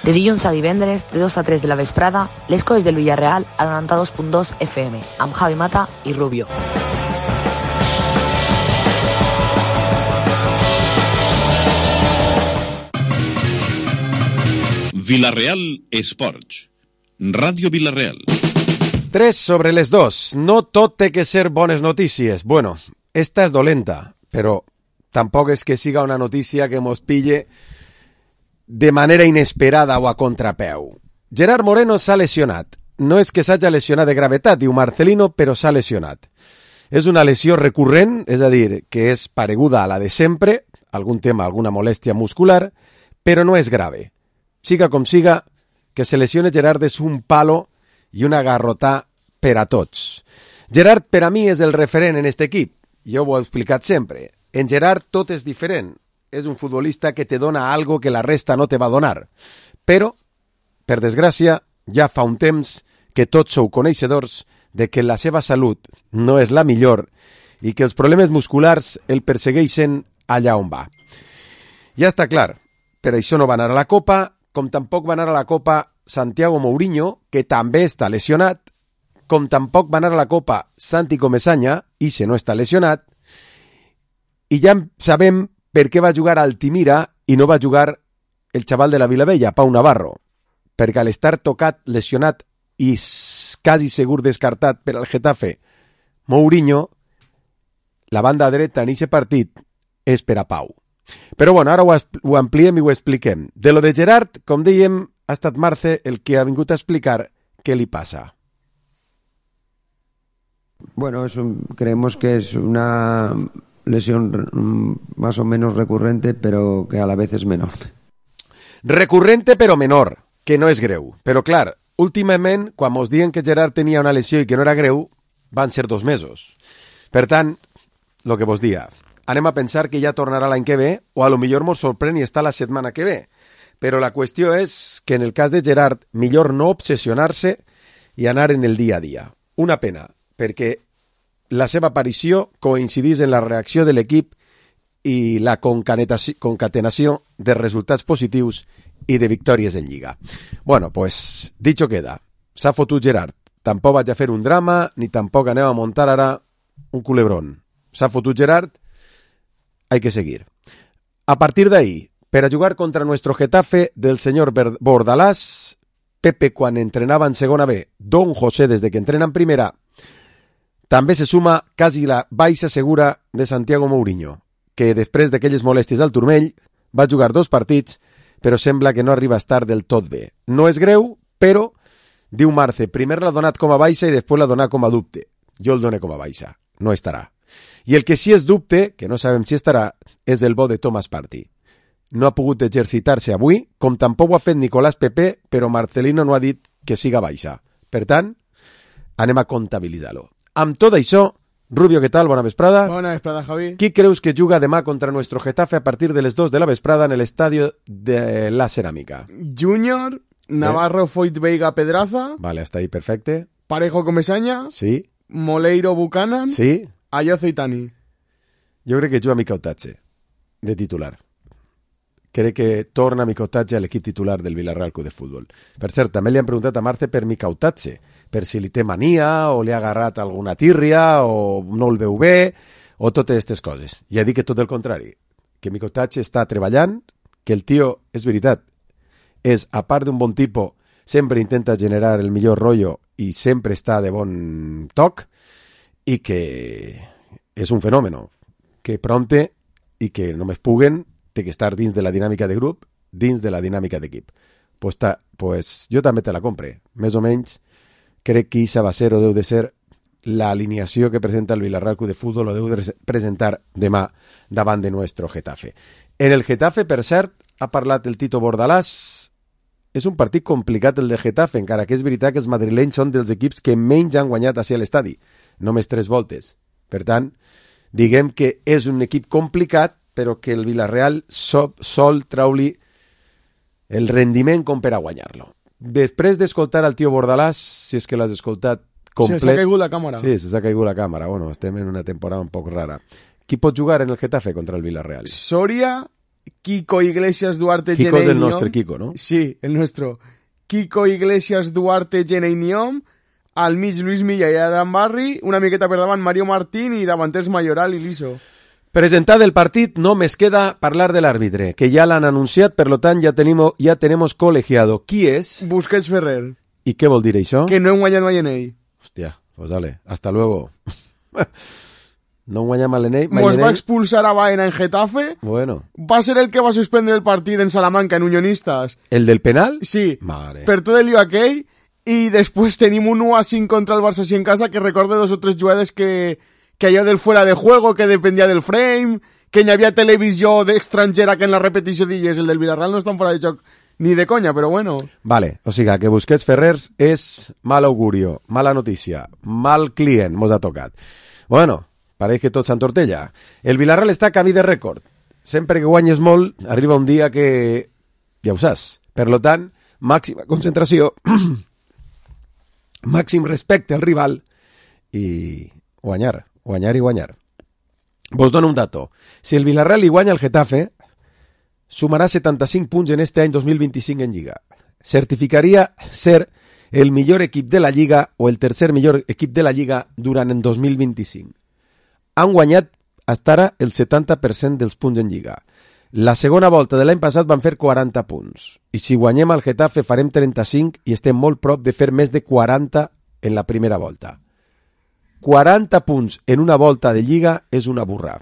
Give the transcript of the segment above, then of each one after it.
De dilluns a divendres, de 2 a 3 de la vesprada, les coses del Villarreal al 92.2 FM, amb Javi Mata i Rubio. Villarreal Esports. Ràdio Villarreal. 3 sobre les 2. No tot té que ser bones notícies. Bueno, esta és dolenta, però tampoc és que siga una notícia que mos pille de manera inesperada o a contrapeu. Gerard Moreno s'ha lesionat. No és que s'hagi lesionat de gravetat, diu Marcelino, però s'ha lesionat. És una lesió recurrent, és a dir, que és pareguda a la de sempre, algun tema, alguna molèstia muscular, però no és grave. Siga com siga, que se lesione Gerard és un palo i una garrotà per a tots. Gerard, per a mi, és el referent en aquest equip. Jo ho he explicat sempre. En Gerard tot és diferent. És un futbolista que te dona algo que la resta no te va donar. Però, per desgràcia, ja fa un temps que tots sou coneixedors de que la seva salut no és la millor i que els problemes musculars el persegueixen allà on va. Ja està clar, per això no va anar a la Copa, com tampoc va anar a la Copa Santiago Mourinho, que també està lesionat, com tampoc va anar a la Copa Santi Comesaña, i se no està lesionat, i ja sabem per què va jugar Altimira i no va jugar el xaval de la Vilavella, Pau Navarro, perquè al estar tocat, lesionat i quasi segur descartat per al Getafe, Mourinho, la banda dreta en aquest partit és per a Pau. Però bueno, ara ho ampliem i ho expliquem. De lo de Gerard, com dèiem, ha estat Marce el que ha vingut a explicar què li passa. Bueno, creemos que es una lesión más o menos recurrente, pero que a la vez es menor. Recurrente però menor, que no és greu. Però clar, últimament, quan mos diuen que Gerard tenia una lesió i que no era greu, van ser 2 mesos. Per tant, lo que vos dia, anem a pensar que ja tornarà l'any que ve, o a lo millor mos sorprèn i està la setmana que ve. Però la qüestió és que en el cas de Gerard, millor no obsessionar-se i anar en el dia a dia. Una pena, perquè la seva aparició coincidís en la reacció de l'equip i la concatenació de resultats positius i de victòries en Lliga. Bueno, pues, dicho queda. S'ha fotut Gerard. Tampoc vaig a fer un drama, ni tampoc aneu a muntar ara un culebrón. S'ha fotut Gerard, hay que seguir. A partir de ahí, para jugar contra nuestro Getafe del señor Bordalás, Pepe quan entrenava en segona B, Don José desde que entrena en primera, també se suma quasi la baixa segura de Santiago Mourinho, que després d'aquelles molèsties al turmell va jugar 2 partits, però sembla que no arriba a estar del tot bé. No és greu, però, diu Marce, primer l'ha donat com a baixa i després l'ha donat com a dubte. Jo el dono com a baixa, no estarà. I el que sí és dubte, que no sabem si estarà, és el bo de Thomas Partey. No ha pogut exercitar-se avui, com tampoc ho ha fet Nicolás Pepe, però Marcelino no ha dit que siga baixa. Per tant, anem a comptabilitzar-lo. Amb tot això, Rubio, què tal? Bona vesprada. Bona vesprada, Javi. Qui creus que juga demà contra nuestro Getafe a partir de les 2 de la vesprada en el estadio de la Ceràmica? Junior, Navarro, Foyt, Veiga, Pedraza. Vale, hasta ahí, perfecte. Parejo, Comesaña. Sí. Moleiro, Buchanan. Sí. Ayoce i Tani. Jo crec que juga Micautatge, de titular. Crec que torna Micautatge a l'equip titular del Villarreal Club de Futbol. Per cert, també li han preguntat a Marce per Micautatge, per si li té mania, o li ha agarrat alguna tírria, o no el veu bé, o totes aquestes coses. I ha dit que tot el contrari, que Micautatge està treballant, que el tio, és veritat, és, a part d'un bon tipus, sempre intenta generar el millor rotllo i sempre està de bon toc, i que és un fenomen, que pronte i que només puguen té que estar dins de la dinàmica de grup, dins de la dinàmica d'equip. Pues jo també te la compre. Més o menys crec que això va ser o deu de ser l'alineació que presenta el Villarreal Club de Futbol o deu de presentar demà davant de nuestro Getafe. En el Getafe, per cert, ha parlat el Tito Bordalás. És un partit complicat el de Getafe, encara que és veritat que els madrilenys són dels equips que menys han guanyat a l'estadi. Només 3 voltes. Per tant, diguem que és un equip complicat, però que el Villarreal sol treure-li el rendiment com per a guanyar-lo. Després d'escoltar al tio Bordalás, si és que l'has escoltat complet... Sí, s'ha caigut la càmera. Sí, s'ha caigut la càmera. Bueno, estem en una temporada un poc rara. Qui pot jugar en el Getafe contra el Villarreal? Soria, Kiko Iglesias Duarte Kiko Jenei del Niom. nostre Kiko, no? Sí, el nuestro. Kiko Iglesias Duarte Jenei Niom, al mig Luis Milla i Adam Barri, una miqueta per davant Mario Martín i davanters Mayoral i Liso. Presentat el partit, només queda parlar de l'àrbitre, que ja l'han anunciat, per lo tant ja tenemos colegiado. Qui és? Busquets Ferrer, I què vol dir això? que no hem guanyat mai en ell. Hòstia, pues dale, hasta luego. No guanyam a l'Enei? Mos va expulsar a Baena en Getafe. Bueno. Va ser el que va suspendre el partit en Salamanca, en Unionistas. ¿El del penal? Sí, Mare. per tot el lío aquell. I després tenim un 1-5 contra el Barça així en casa, que recorde 2 o 3 jugades que allò del fuera de juego, que dependia del frame, que hi havia televisió d'estrangera que en la repetició digués el del Villarreal no estan fora de joc ni de conya, però bueno. Vale, o sigui que Busquets Ferrers és mal augurio, mala notícia, mal client mos ha tocat. Bueno, pareix que tot s'entortella. El Villarreal està a camí de rècord. Sempre que guanyes molt, arriba un dia que ja ho saps. Per lo tant, màxima concentració, màxim respecte al rival i guanyar. Vos dono un dato. Si el Villarreal li guanya el Getafe, sumarà 75 punts en este any 2025 en Lliga. Certificaria ser el millor equip de la Lliga o el tercer millor equip de la Lliga durant el 2025. Han guanyat fins ara el 70% dels punts en Lliga. La segona volta de l'any passat van fer 40 punts. I si guanyem al Getafe farem 35 i estem molt prop de fer més de 40 en la primera volta. 40 punts en una volta de Lliga és una burra.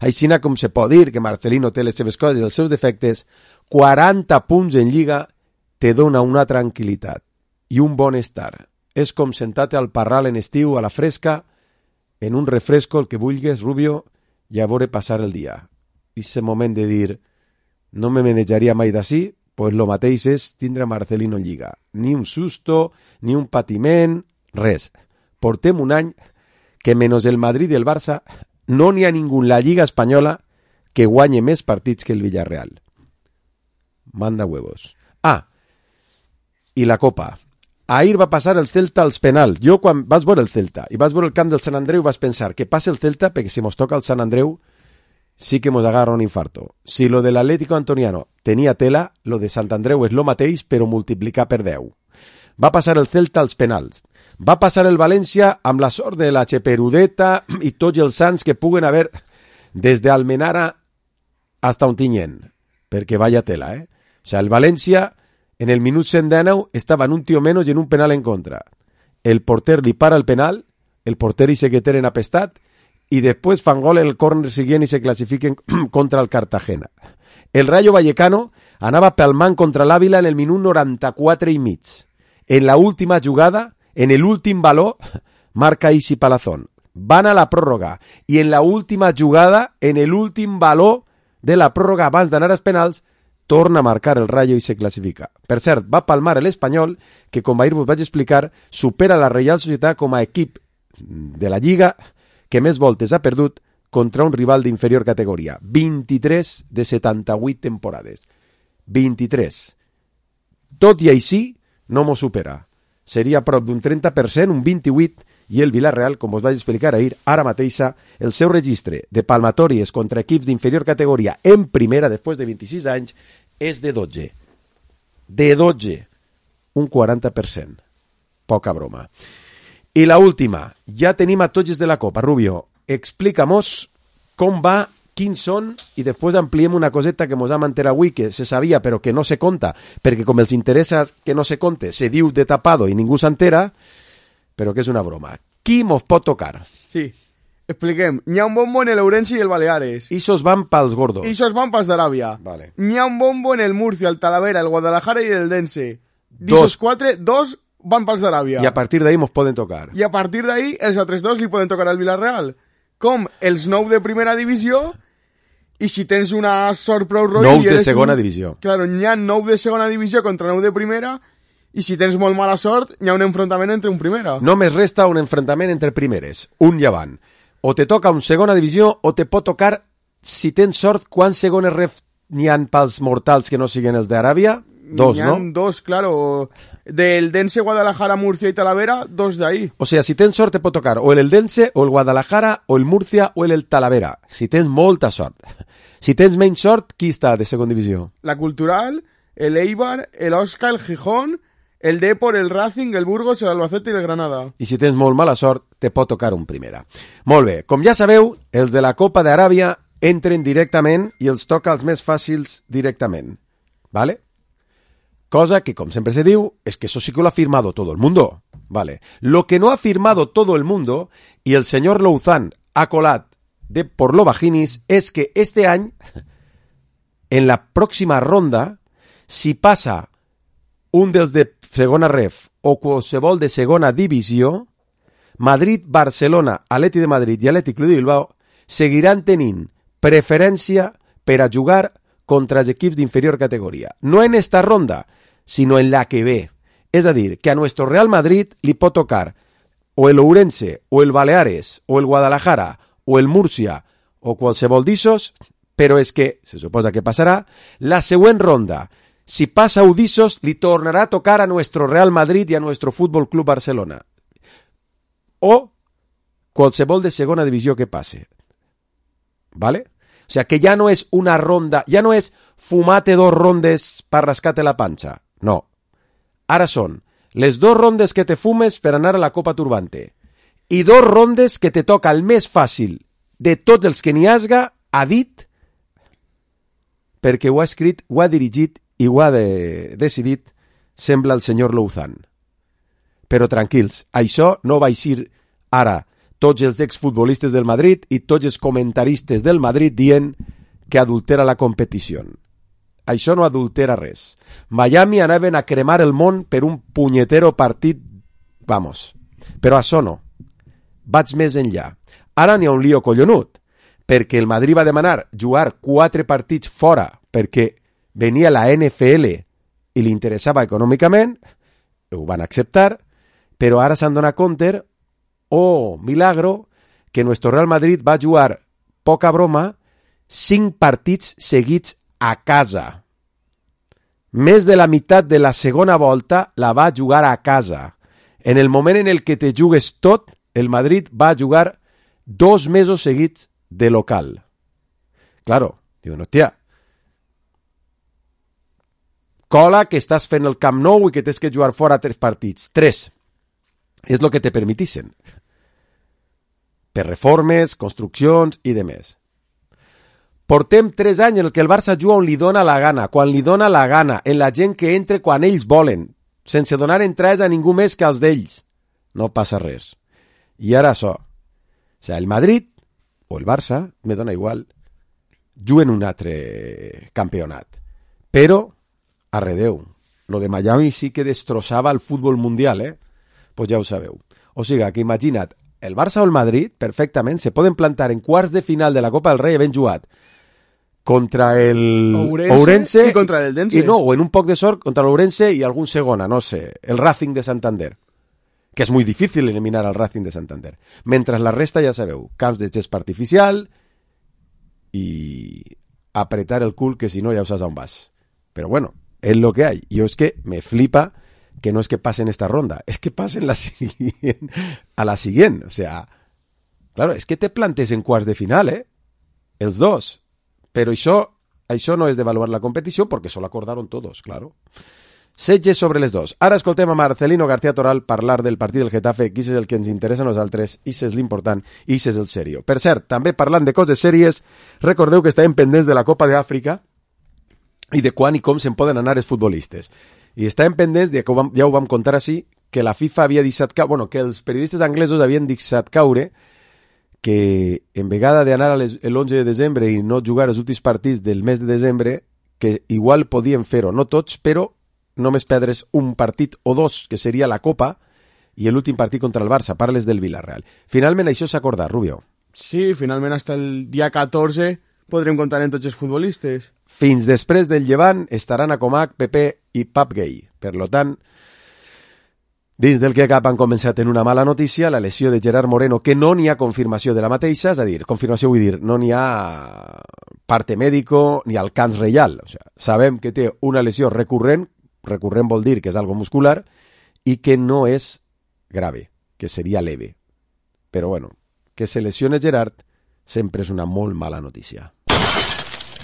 Aixina com se pot dir que Marcelino té les seves coses i els seus defectes, 40 punts en Lliga te dona una tranquil·litat i un bon estar. És com sentar-te al parral en estiu a la fresca, en un refresco el que vulguis, Rubio, i a veure passar el dia. I ese moment de dir no me manejaria mai d'ací, pues lo mateix és tindre Marcelino en Lliga. Ni un susto, ni un patiment, res. Portem un any que menys el Madrid i el Barça no n'hi ha ningú en la Lliga Espanyola que guanye més partits que el Villarreal. Manda huevos. Ah, i la Copa. Ahir va passar el Celta als penals. Jo quan vas veure el Celta i vas veure el camp del Sant Andreu vas pensar que passa el Celta perquè si mos toca el Sant Andreu sí que mos agarra un infarto. Si lo del Atlético Antoniano tenia tela, lo de Sant Andreu és lo mateix però multiplicar per 10. Va passar el Celta als penals. Va passar el València amb la sort de la Cheperudeta i tots els sants que puguen haver des d'Almenara hasta Ontinyent, perquè vaya tela, O sea, el València en el minut 119 estava en un tio menys i en un penal en contra. El porter li para el penal, el porter i se queden apestat i després fan gol el córner siguient i se classifiquen contra el Cartagena. El Rayo Vallecano anava pelmant contra l'Àvila en el minut 94 i mig. En la última jugada, en el últim baló, marca Isi Palazón. Van a la pròrroga. I en la última jugada, en el últim baló de la pròrroga abans d'anar als penals, torna a marcar el Rayo i se classifica. Per cert, va palmar l'Espanyol, que com ahir vos vaig explicar, supera la Reial Societat com a equip de la Lliga que més voltes ha perdut contra un rival d'inferior categoria. 23 de 78 temporades. 23. Tot i així, no m'ho supera. Seria prop d'un 30%, un 28%, i el Villarreal, com us vaig explicar ahir, ara mateixa, el seu registre de palmatòries contra equips d'inferior categoria en primera, després de 26 anys, és de 12. De 12. Un 40%. Poca broma. I la última. Ja tenim a tots de la Copa. Rubio, explica-mos com va, quins són, i després ampliem una coseta que mos ha manter avui, que se sabia però que no se conta, perquè com els interessa que no se conte, se diu de tapado i ningú s'entera, però que és una broma. Qui mos pot tocar? Sí, expliquem. N'hi ha un bombo en el Ourense i el Baleares. Ixos van pels gordos. Ixos van pels d'Aràbia. Vale. N'hi ha un bombo en el Murcia, el Talavera, el Guadalajara i el Dense. Dos. D'ixos 4, 2 van pels d'Aràbia. I a partir d'ahí mos poden tocar. I a partir d'ahí, els altres 2 li poden tocar al Villarreal. Com els 9 de primera divisió, i si tens una sort prou roïn... 9 de segona divisió. Claro, n'hi ha 9 de segona divisió contra 9 de primera, i si tens molt mala sort, hi ha un enfrontament entre un primera. Només resta un enfrontament entre primeres, un llevant. O te toca un segona divisió, o te pot tocar, si tens sort, quants segones ref n'hi ha pels mortals que no siguin els d'Aràbia? 2, ¿no? Dos, claro. Del Dense, Guadalajara, Murcia y Talavera, 2 de ahí. O sea, si tens sort te pot tocar o el Eldense, o el Guadalajara, o el Murcia, o el Talavera. Si tens molta sort. Si tens menys sort, qui està de segona divisió? La Cultural, el Eibar, el Osca, el Gijón, el Depor, el Racing, el Burgos, el Albacete i el Granada. I si tens molt mala sort, te pot tocar un primera. Molt bé, com ja sabeu, els de la Copa d'Aràbia entren directament i els toca els més fàcils directament. ¿Vale? Cosa que, como siempre se diu, es que eso sí que lo ha firmado todo el mundo. Vale. Lo que no ha firmado todo el mundo, y el señor Louzán ha colat de por lo bajinis, es que este año, en la próxima ronda, si pasa un dels de segona ref o qualsevol de segona divisió, Madrid, Barcelona, Atleti de Madrid i Atlètic Club de Bilbao seguiran tenint preferència per a jugar contra els equips d'inferior categoria. No en esta ronda, sino en la que ve. Es a dir, que a nuestro Real Madrid li pot tocar o el Ourense, o el Baleares, o el Guadalajara, o el Murcia, o qualsevol d'issos, però és que, se suposa que passarà, la següent ronda, si passa d'issos, li tornarà a tocar a nuestro Real Madrid y a nuestro Fútbol Club Barcelona. O qualsevol de segona divisió que passe. ¿Vale? O sea, que ya no es una ronda, ya no es fumate 2 rondes para rascarte la pancha. No. Ara són les 2 rondes que te fumes per anar a la Copa Turbante i 2 rondes que te toca el més fàcil de tots els que n'hi hasga, ha dit, perquè ho ha escrit, ho ha dirigit i ho ha decidit, sembla el senyor Louzán. Però tranquils, això no va eixir ara tots els exfutbolistes del Madrid i tots els comentaristes del Madrid dient que adultera la competició. Això no adultera res. Miami anaven a cremar el món per un punyetero partit, vamos. Però això no. Vaig més enllà. Ara n'hi ha un lío collonut, perquè el Madrid va demanar jugar 4 partits fora perquè venia la NFL i li interessava econòmicament, ho van acceptar, però ara s'han donat compte, oh, milagro, que nuestro Real Madrid va jugar, poca broma, 5 partits seguits a casa. Més de la meitat de la segona volta la va jugar a casa. En el moment en el que te jugues tot, el Madrid va jugar 2 mesos seguits de local. Claro, diuen, hòstia, cola que estàs fent el Camp Nou i que tens que jugar fora 3 partits. 3. És el que te permetixen. Per reformes, construccions i demés. Portem 3 anys en el que el Barça juga on li dona la gana, quan li dona la gana, en la gent que entre quan ells volen, sense donar entrades a ningú més que als d'ells. No passa res. I ara això. O sigui, el Madrid o el Barça, me dona igual, juguen un altre campionat. Però, arredeu, lo de Miami sí que destrossava el futbol mundial, Pues ja ho sabeu. O sigui, que imagina't, el Barça o el Madrid, perfectament, se poden plantar en quarts de final de la Copa del Rei ben jugat contra el Ourense i contra el Dense. I no, o en un poc de sort contra l'Ourense i algun segona, no sé, el Racing de Santander, que és muy difícil eliminar al Racing de Santander. Mentre la resta, ja sabeu, camps de gespa artificial i apretar el cul, que si no ja saps on vas. Però bueno, es lo que hay. Yo es que me flipa que no es que pasen esta ronda, es que pasen a la siguiente. O sea, claro, es que te plantes en quarts de final, els dos. Però això no és d'avaluar la competició perquè això l'acordaron todos, claro. Setge sobre les 2. Ara escoltem a Marcelino García Toral parlar del partit del Getafe, que és el que ens interessa a nosaltres, i és l'important, i és el serio. Per cert, també parlant de coses sèries, recordeu que estàvem pendents de la Copa d'Àfrica i de quan i com se'n poden anar els futbolistes. I estàvem pendents, ja ho vam contar així, que la FIFA havia deixat caure, bueno, que els periodistes anglesos havien deixat caure que en vegada d'anar l'11 de desembre i no jugar els últims partits del mes de desembre, que igual podien fer-ho, no tots, però només perdre's un partit o 2, que seria la Copa, i l'últim partit contra el Barça, parles del Villarreal. Finalment això s'ha acordat, Rubio. Sí, finalment hasta el dia 14 podrem comptar en tots els futbolistes. Fins després del Llevant estaran a Comac, Pepe i Pap Gay. Per lo tant, dins del que cap han començat en una mala notícia, la lesió de Gerard Moreno, que no n'hi ha confirmació de la mateixa, és a dir, confirmació vull dir, no n'hi ha parte mèdico ni alcance reial. O sigui, sabem que té una lesió recurrent, recurrent vol dir que és algo muscular i que no és grave, que seria leve. Però bueno, que se lesione Gerard sempre és una molt mala notícia.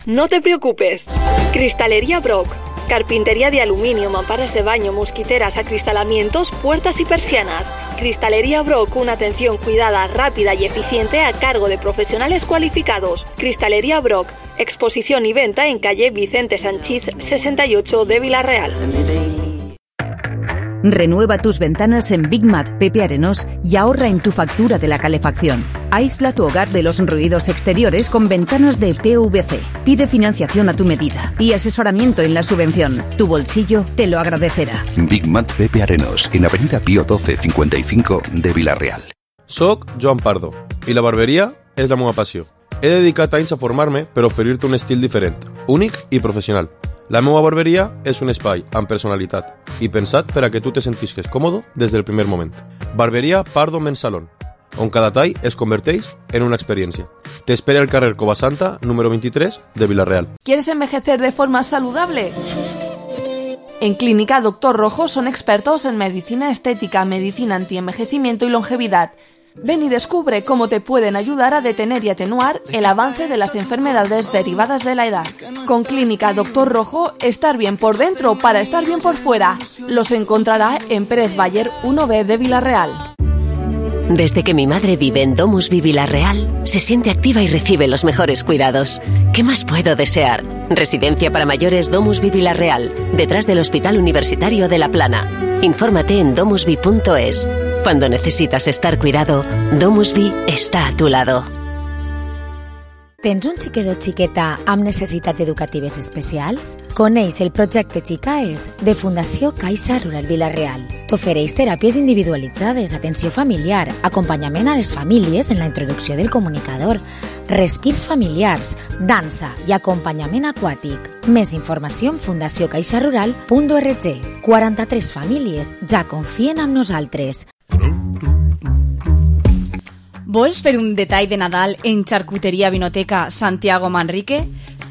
No te preocupes. Cristalería Brock. Carpintería de aluminio, mamparas de baño, mosquiteras, acristalamientos, puertas y persianas. Cristalería Brock, una atención cuidada, rápida y eficiente a cargo de profesionales cualificados. Cristalería Brock, exposición y venta en calle Vicente Sanchís 68 de Vila-real. Renueva tus ventanas en Big Mat Pepe Arenós y ahorra en tu factura de la calefacción. Aísla tu hogar de los ruidos exteriores con ventanas de PVC. Pide financiación a tu medida y asesoramiento en la subvención. Tu bolsillo te lo agradecerá. Big Mat Pepe Arenós, en Avenida Pío 12 55 de Vila-real. Soc Joan Pardo i la barberia és la meva passió. He dedicat anys a formar-me per oferir-te un estil diferent, únic i professional. La meva barberia és un espai amb personalitat i pensat per a que tu te sentisques còmode des del primer moment. Barberia Pardo Men's Salon, on cada tall es converteix en una experiència. Te espera el carrer Covasanta, número 23, de Vila-real. ¿Quieres envejecer de forma saludable? En Clínica Doctor Rojo son expertos en medicina estética, medicina antienvejecimiento y longevidad. Ven y descubre cómo te pueden ayudar a detener y atenuar el avance de las enfermedades derivadas de la edad. Con Clínica Doctor Rojo, estar bien por dentro para estar bien por fuera. Los encontrará en Pérez Bayer 1B de Vila-real. Desde que mi madre vive en Domusvi Vila-real, se siente activa y recibe los mejores cuidados. ¿Qué más puedo desear? Residencia para mayores Domusvi Vila-real, detrás del Hospital Universitario de La Plana. Infórmate en domusvi.es. Cuando necesitas estar cuidado, Domusvi està a tu lado. Tens un xiquet o xiqueta amb necessitats educatives especials? Coneix el projecte Xicaes de Fundació Caixa Rural Vila-real. T'ofereix teràpies individualitzades, atenció familiar, acompanyament a les famílies en la introducció del comunicador, respirs familiars, dansa i acompanyament aquàtic. Més informació en fundaciocaixarural.org. 43 famílies ja confien en nosaltres. Vols fer un detall de Nadal en Xarcuteria Vinoteca Santiago Manrique?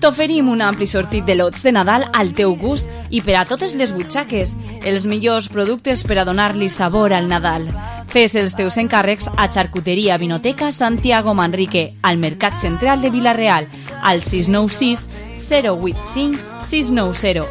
T'oferim un ampli sortit de lots de Nadal al teu gust i per a totes les butxaques, els millors productes per a donar-li sabor al Nadal. Fes els teus encàrrecs a Xarcuteria Vinoteca Santiago Manrique, al Mercat Central de Vila-real, al 696 085 690.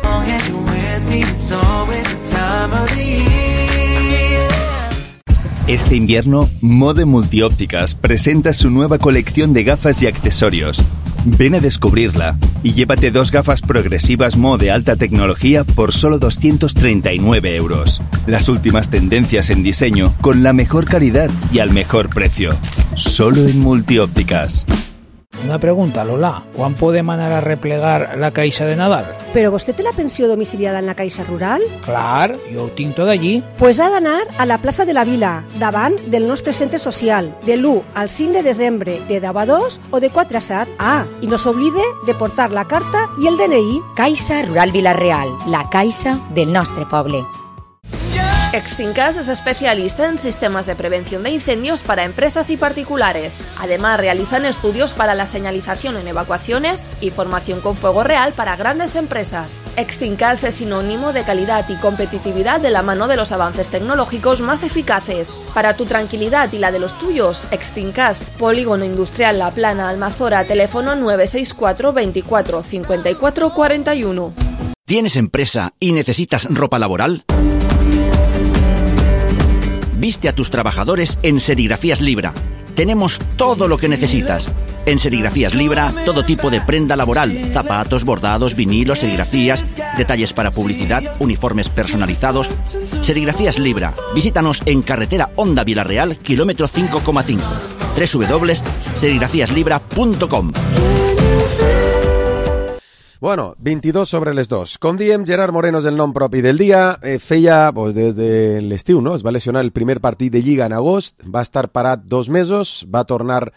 Este invierno, Mode Multiópticas presenta su nueva colección de gafas y accesorios. Ven a descubrirla y llévate 2 gafas progresivas Mode alta tecnología por solo 239 €. Las últimas tendencias en diseño con la mejor calidad y al mejor precio. Solo en Multiópticas. Una pregunta, Lola. ¿Quan podem anar a replegar la caixa de Nadal? ¿Però vostè té la pensió domiciliada en la Caixa Rural? Clar, jo ho tinc tot allí. Pues ha d'anar a la plaça de la Vila, davant del nostre centre social, de l'1 al 5 de desembre, de 10 a 2 o de 4 a 7. Ah, i no s'oblide de portar la carta i el DNI. Caixa Rural Vila-real, la caixa del nostre poble. Extincas es especialista en sistemas de prevención de incendios para empresas y particulares. Además, realizan estudios para la señalización en evacuaciones y formación con fuego real para grandes empresas. Extincas es sinónimo de calidad y competitividad de la mano de los avances tecnológicos más eficaces. Para tu tranquilidad y la de los tuyos, Extincas, Polígono Industrial La Plana, Almazora, teléfono 964 24 54 41. ¿Tienes empresa y necesitas ropa laboral? Viste a tus trabajadores en Serigrafías Libra. Tenemos todo lo que necesitas. En Serigrafías Libra, todo tipo de prenda laboral, zapatos, bordados, vinilos, serigrafías, detalles para publicidad, uniformes personalizados. Serigrafías Libra. Visítanos en carretera Honda Vila-real, kilómetro 5,5. www.serigrafiaslibra.com. Bueno, 22 sobre les 2. Com diem, Gerard Moreno és el nom propi del dia. Feia, pues, des de l'estiu, no? Es va lesionar el primer partit de Lliga en agost, va estar parat 2 mesos, va tornar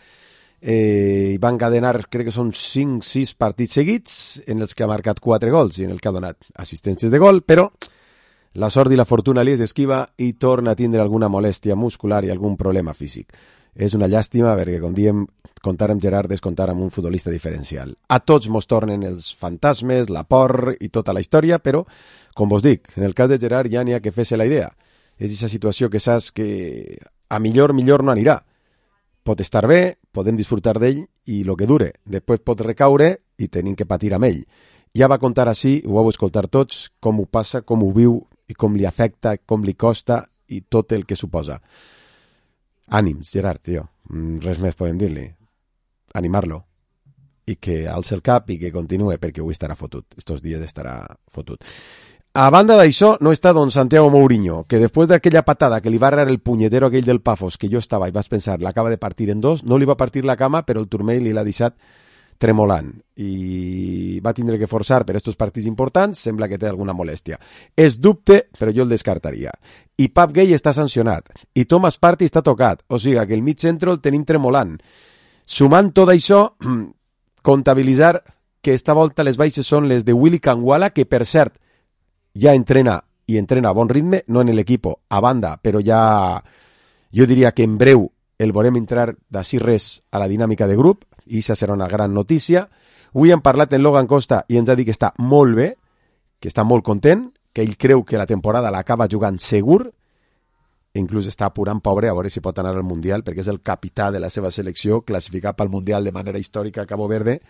i va encadenar, crec que són 5-6 partits seguits, en els que ha marcat 4 gols i en el que ha donat assistències de gol, però la sort i la fortuna li és esquiva i torna a tindre alguna molèstia muscular i algun problema físic. És una llàstima perquè quan diem comptar amb Gerard és comptar amb un futbolista diferencial. A tots mos tornen els fantasmes, la por i tota la història, però, com vos dic, en el cas de Gerard ja n'hi ha que fer-se la idea. És aquesta situació que saps que a millor no anirà. Pot estar bé, podem disfrutar d'ell i el que dure. Després pot recaure i tenim que patir amb ell. Ja va contar així, ho vau escoltar tots, com ho passa, com ho viu i com li afecta, com li costa i tot el que suposa. Ànims, Gerard, tio. Res més podem dir-li. Animar-lo. I que alça el cap i que continue perquè avui estarà fotut. Estos dies estarà fotut. A banda d'això, no està don Santiago Mourinho, que després d'aquella patada que li va arrar el punyetero aquell del Pafos, que jo estava i vas pensar, l'acaba de partir en dos, no li va partir la cama, però el turmell li l'ha deixat tremolant i va tindre que forçar per estos partits importants, sembla que té alguna molèstia. És dubte, però jo el descartaria. I Pap Gay està sancionat, i Thomas Partey està tocat, o sigui que el mig centre el tenim tremolant. Sumant tot això, comptabilitzar que esta volta les baixes són les de Willy Kangwala, que per cert ja entrena i entrena a bon ritme, no en l'equip a banda, però ja jo diria que en breu el veurem entrar d'ací res a la dinàmica de grup, i això serà una gran notícia. Avui hem parlat amb Logan Costa i ens ha dit que està molt bé, que està molt content, que ell creu que la temporada l'acaba jugant segur, inclús està apurant pobre a veure si pot anar al Mundial, perquè és el capità de la seva selecció, classificat pel Mundial de manera històrica a Cabo Verde,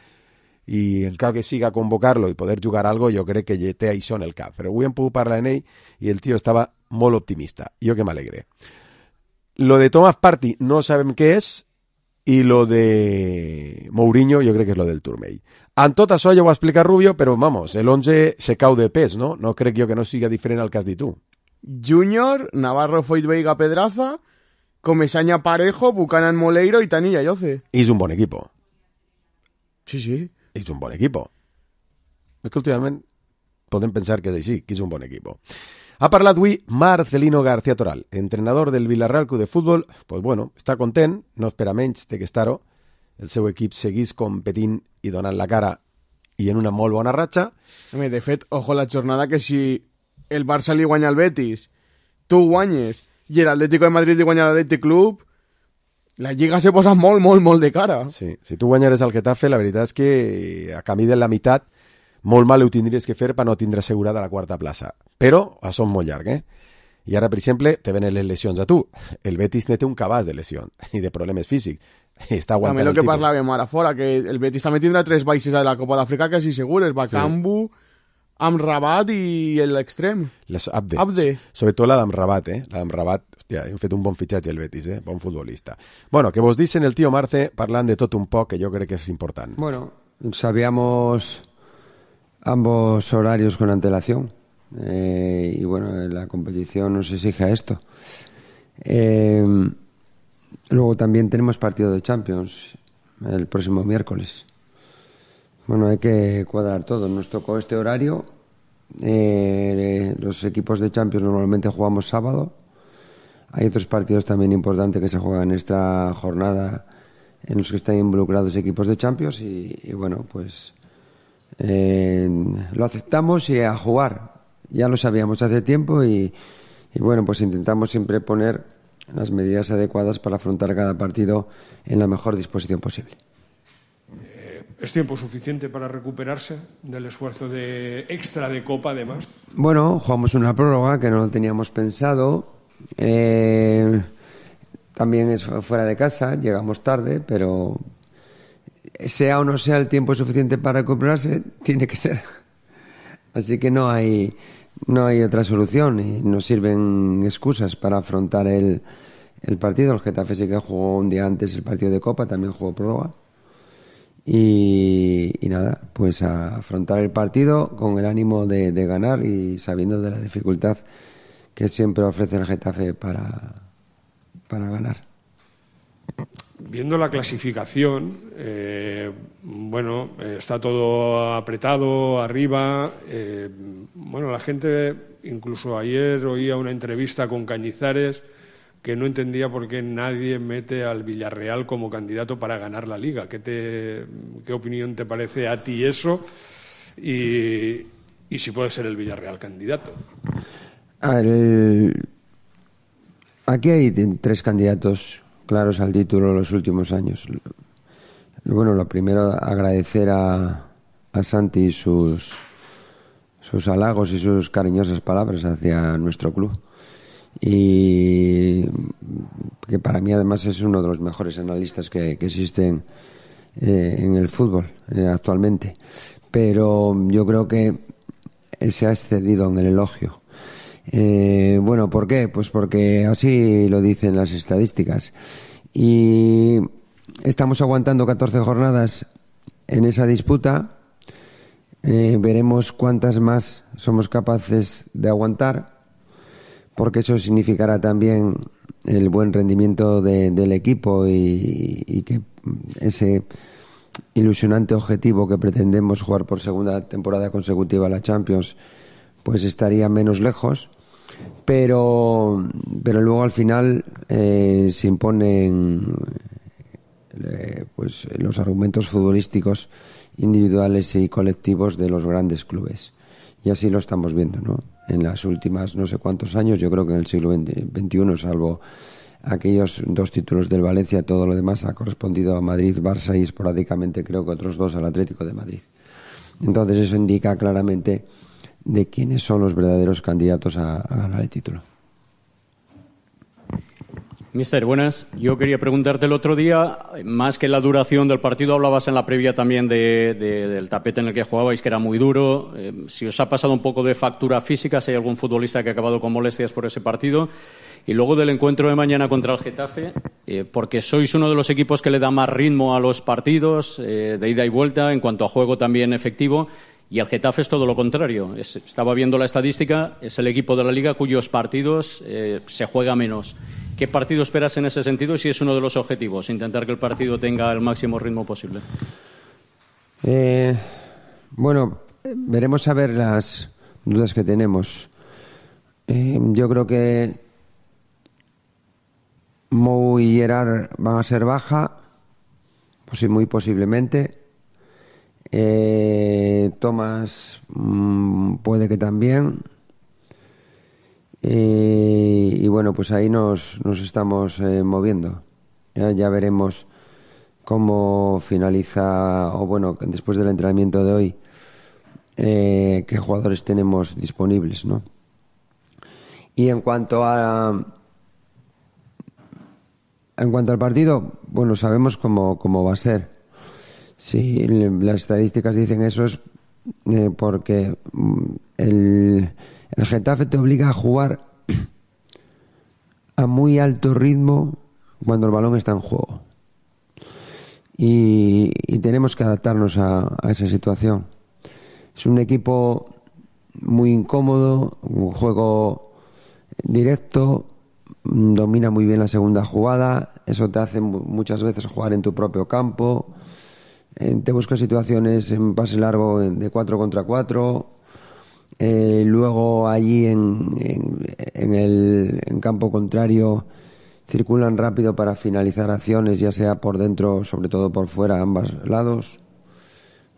i en cas que siga convocar-lo i poder jugar algo, jo crec que té això en el cap. Però avui hem pogut parlar amb ell i el tio estava molt optimista. Jo que m'alegre. Lo de Thomas Partey no sabem què és, i lo de Mourinho jo crec que és lo del turmell. En tot això ja ho va explicar Rubio, però vamos, el 11 se cau de pes, no? No crec jo que no siga diferent al que has dit tu. Junior, Navarro, Foyt, Veiga, Pedraza, Comesaña, Parejo, Buchanan, Moleiro i Tanilla, Yoce. I és un bon equip. Sí. És un bon equip. És que últimament podem pensar que és així, que és un bon equip. Ha parlat avui Marcelino García Toral, entrenador del Villarreal Club de Futbol. Pues bueno, està content, no espera menys de que estar-ho. El seu equip seguís competint i donant la cara i en una molt bona ratxa. De fet, ojo la jornada que si el Barça li guanya al Betis, tu guanyes i l'Atlético de Madrid li guanya l'Atlètic Club, la Lliga se posa molt, molt, molt de cara. Sí, si tu guanyares al Getafe, la veritat és que a camí de la meitat molt mal ho tindries que fer per no tindre assegurada la quarta plaça. Però això és molt llarg, I ara, per exemple, te venen les lesions a tu. El Betis ne té un cabàs de lesions i de problemes físics. Està aguantant també el que parlàvem ara fora, que el Betis també tindrà 3 baixes a la Copa d'Àfrica que sí segures, Bakambu, Amrabat i l'extrem. Abde. Sobretot la d'Amrabat, La d'Amrabat, hòstia, hem fet un bon fitxatge el Betis, Bon futbolista. Bueno, que vos dicen el tío Marce parlant de tot un poc, que jo crec que és important. Bueno, sabíamos ambos horarios con antelación. Y bueno, la competición nos exige a esto. Luego también tenemos partido de Champions el próximo miércoles. Bueno, hay que cuadrar todo. Nos tocó este horario. Los equipos de Champions normalmente jugamos sábado. Hay otros partidos también importantes que se juegan en esta jornada en los que están involucrados equipos de Champions y bueno, pues lo aceptamos y a jugar. Ya lo sabíamos hace tiempo y bueno, pues intentamos siempre poner las medidas adecuadas para afrontar cada partido en la mejor disposición posible. ¿Es tiempo suficiente para recuperarse del esfuerzo de extra de Copa, además? Bueno, jugamos una prórroga que no lo teníamos pensado. También es fuera de casa, llegamos tarde, pero sea o no sea el tiempo suficiente para recuperarse, tiene que ser. Así que no hay otra solución y no sirven excusas para afrontar el partido. El Getafe sí que jugó un día antes el partido de Copa, también jugó prórroga. Y nada, pues a afrontar el partido con el ánimo de ganar y sabiendo de la dificultad que siempre ofrece el Getafe para ganar. Viendo la clasificación, bueno, está todo apretado arriba. Bueno, la gente, incluso ayer oía una entrevista con Cañizares que no entendía por qué nadie mete al Villarreal como candidato para ganar la Liga. ¿Qué opinión te parece a ti eso? Y si puede ser el Villarreal candidato. A ver, aquí hay 3 candidatos claros al título los últimos años. Bueno, lo primero, agradecer a Santi sus halagos y sus cariñosas palabras hacia nuestro club, y que para mí además es uno de los mejores analistas que existen en el fútbol actualmente, pero yo creo que se ha excedido en el elogio. Bueno, ¿por qué? Pues porque así lo dicen las estadísticas, y estamos aguantando 14 jornadas en esa disputa. Veremos cuántas más somos capaces de aguantar, porque eso significará también el buen rendimiento del equipo y que ese ilusionante objetivo que pretendemos, jugar por segunda temporada consecutiva la Champions, pues estaría menos lejos, pero luego al final se imponen pues los argumentos futbolísticos individuales y colectivos de los grandes clubes, y así lo estamos viendo, ¿no? En las últimas no sé cuántos años, yo creo que en el siglo XXI, salvo aquellos 2 títulos del Valencia, todo lo demás ha correspondido a Madrid, Barça y esporádicamente creo que otros 2 al Atlético de Madrid. Entonces eso indica claramente de quiénes son los verdaderos candidatos a ganar el título. Mister, buenas. Yo quería preguntarte el otro día, más que la duración del partido, hablabas en la previa también del tapete en el que jugabais, que era muy duro. Si os ha pasado un poco de factura física, si hay algún futbolista que ha acabado con molestias por ese partido. Y luego del encuentro de mañana contra el Getafe, porque sois uno de los equipos que le da más ritmo a los partidos, de ida y vuelta, en cuanto a juego también efectivo. Y el Getafe es todo lo contrario. Estaba viendo la estadística, es el equipo de la Liga cuyos partidos se juega menos. ¿Qué partido esperas en ese sentido y si es uno de los objetivos, intentar que el partido tenga el máximo ritmo posible? Bueno, veremos a ver las dudas que tenemos. Yo creo que Mou y Gerard van a ser baja, pues muy posiblemente. Tomás puede que también. Y bueno, pues ahí nos estamos moviendo. Ya veremos cómo finaliza, o bueno, después del entrenamiento de hoy, qué jugadores tenemos disponibles, ¿no? Y en cuanto al partido, bueno, sabemos cómo va a ser. Si las estadísticas dicen eso es porque el Getafe te obliga a jugar a muy alto ritmo cuando el balón está en juego, y tenemos que adaptarnos a esa situación. Es un equipo muy incómodo, un juego directo, domina muy bien la segunda jugada, eso te hace muchas veces jugar en tu propio campo, te busca situaciones en pase largo de 4 contra 4. Luego allí en campo contrario circulan rápido para finalizar acciones, ya sea por dentro, sobre todo por fuera, a ambos lados.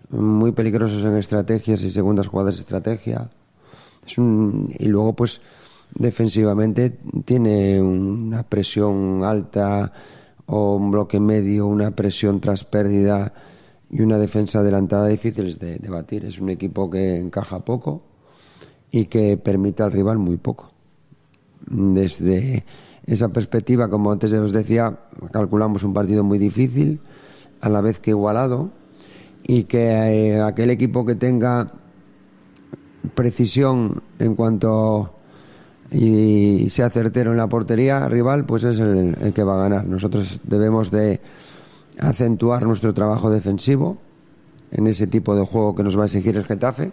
Muy peligrosos en estrategias y segundas jugadas de estrategia. Y luego, pues, defensivamente tiene una presión alta o un bloque medio, una presión tras pérdida y una defensa adelantada difíciles de batir. Es un equipo que encaja poco y que permite al rival muy poco. Desde esa perspectiva, como antes os decía, calculamos un partido muy difícil, a la vez que igualado, y que aquel equipo que tenga precisión en cuanto y sea certero en la portería rival, pues es el que va a ganar. Nosotros debemos de acentuar nuestro trabajo defensivo en ese tipo de juego que nos va a exigir el Getafe.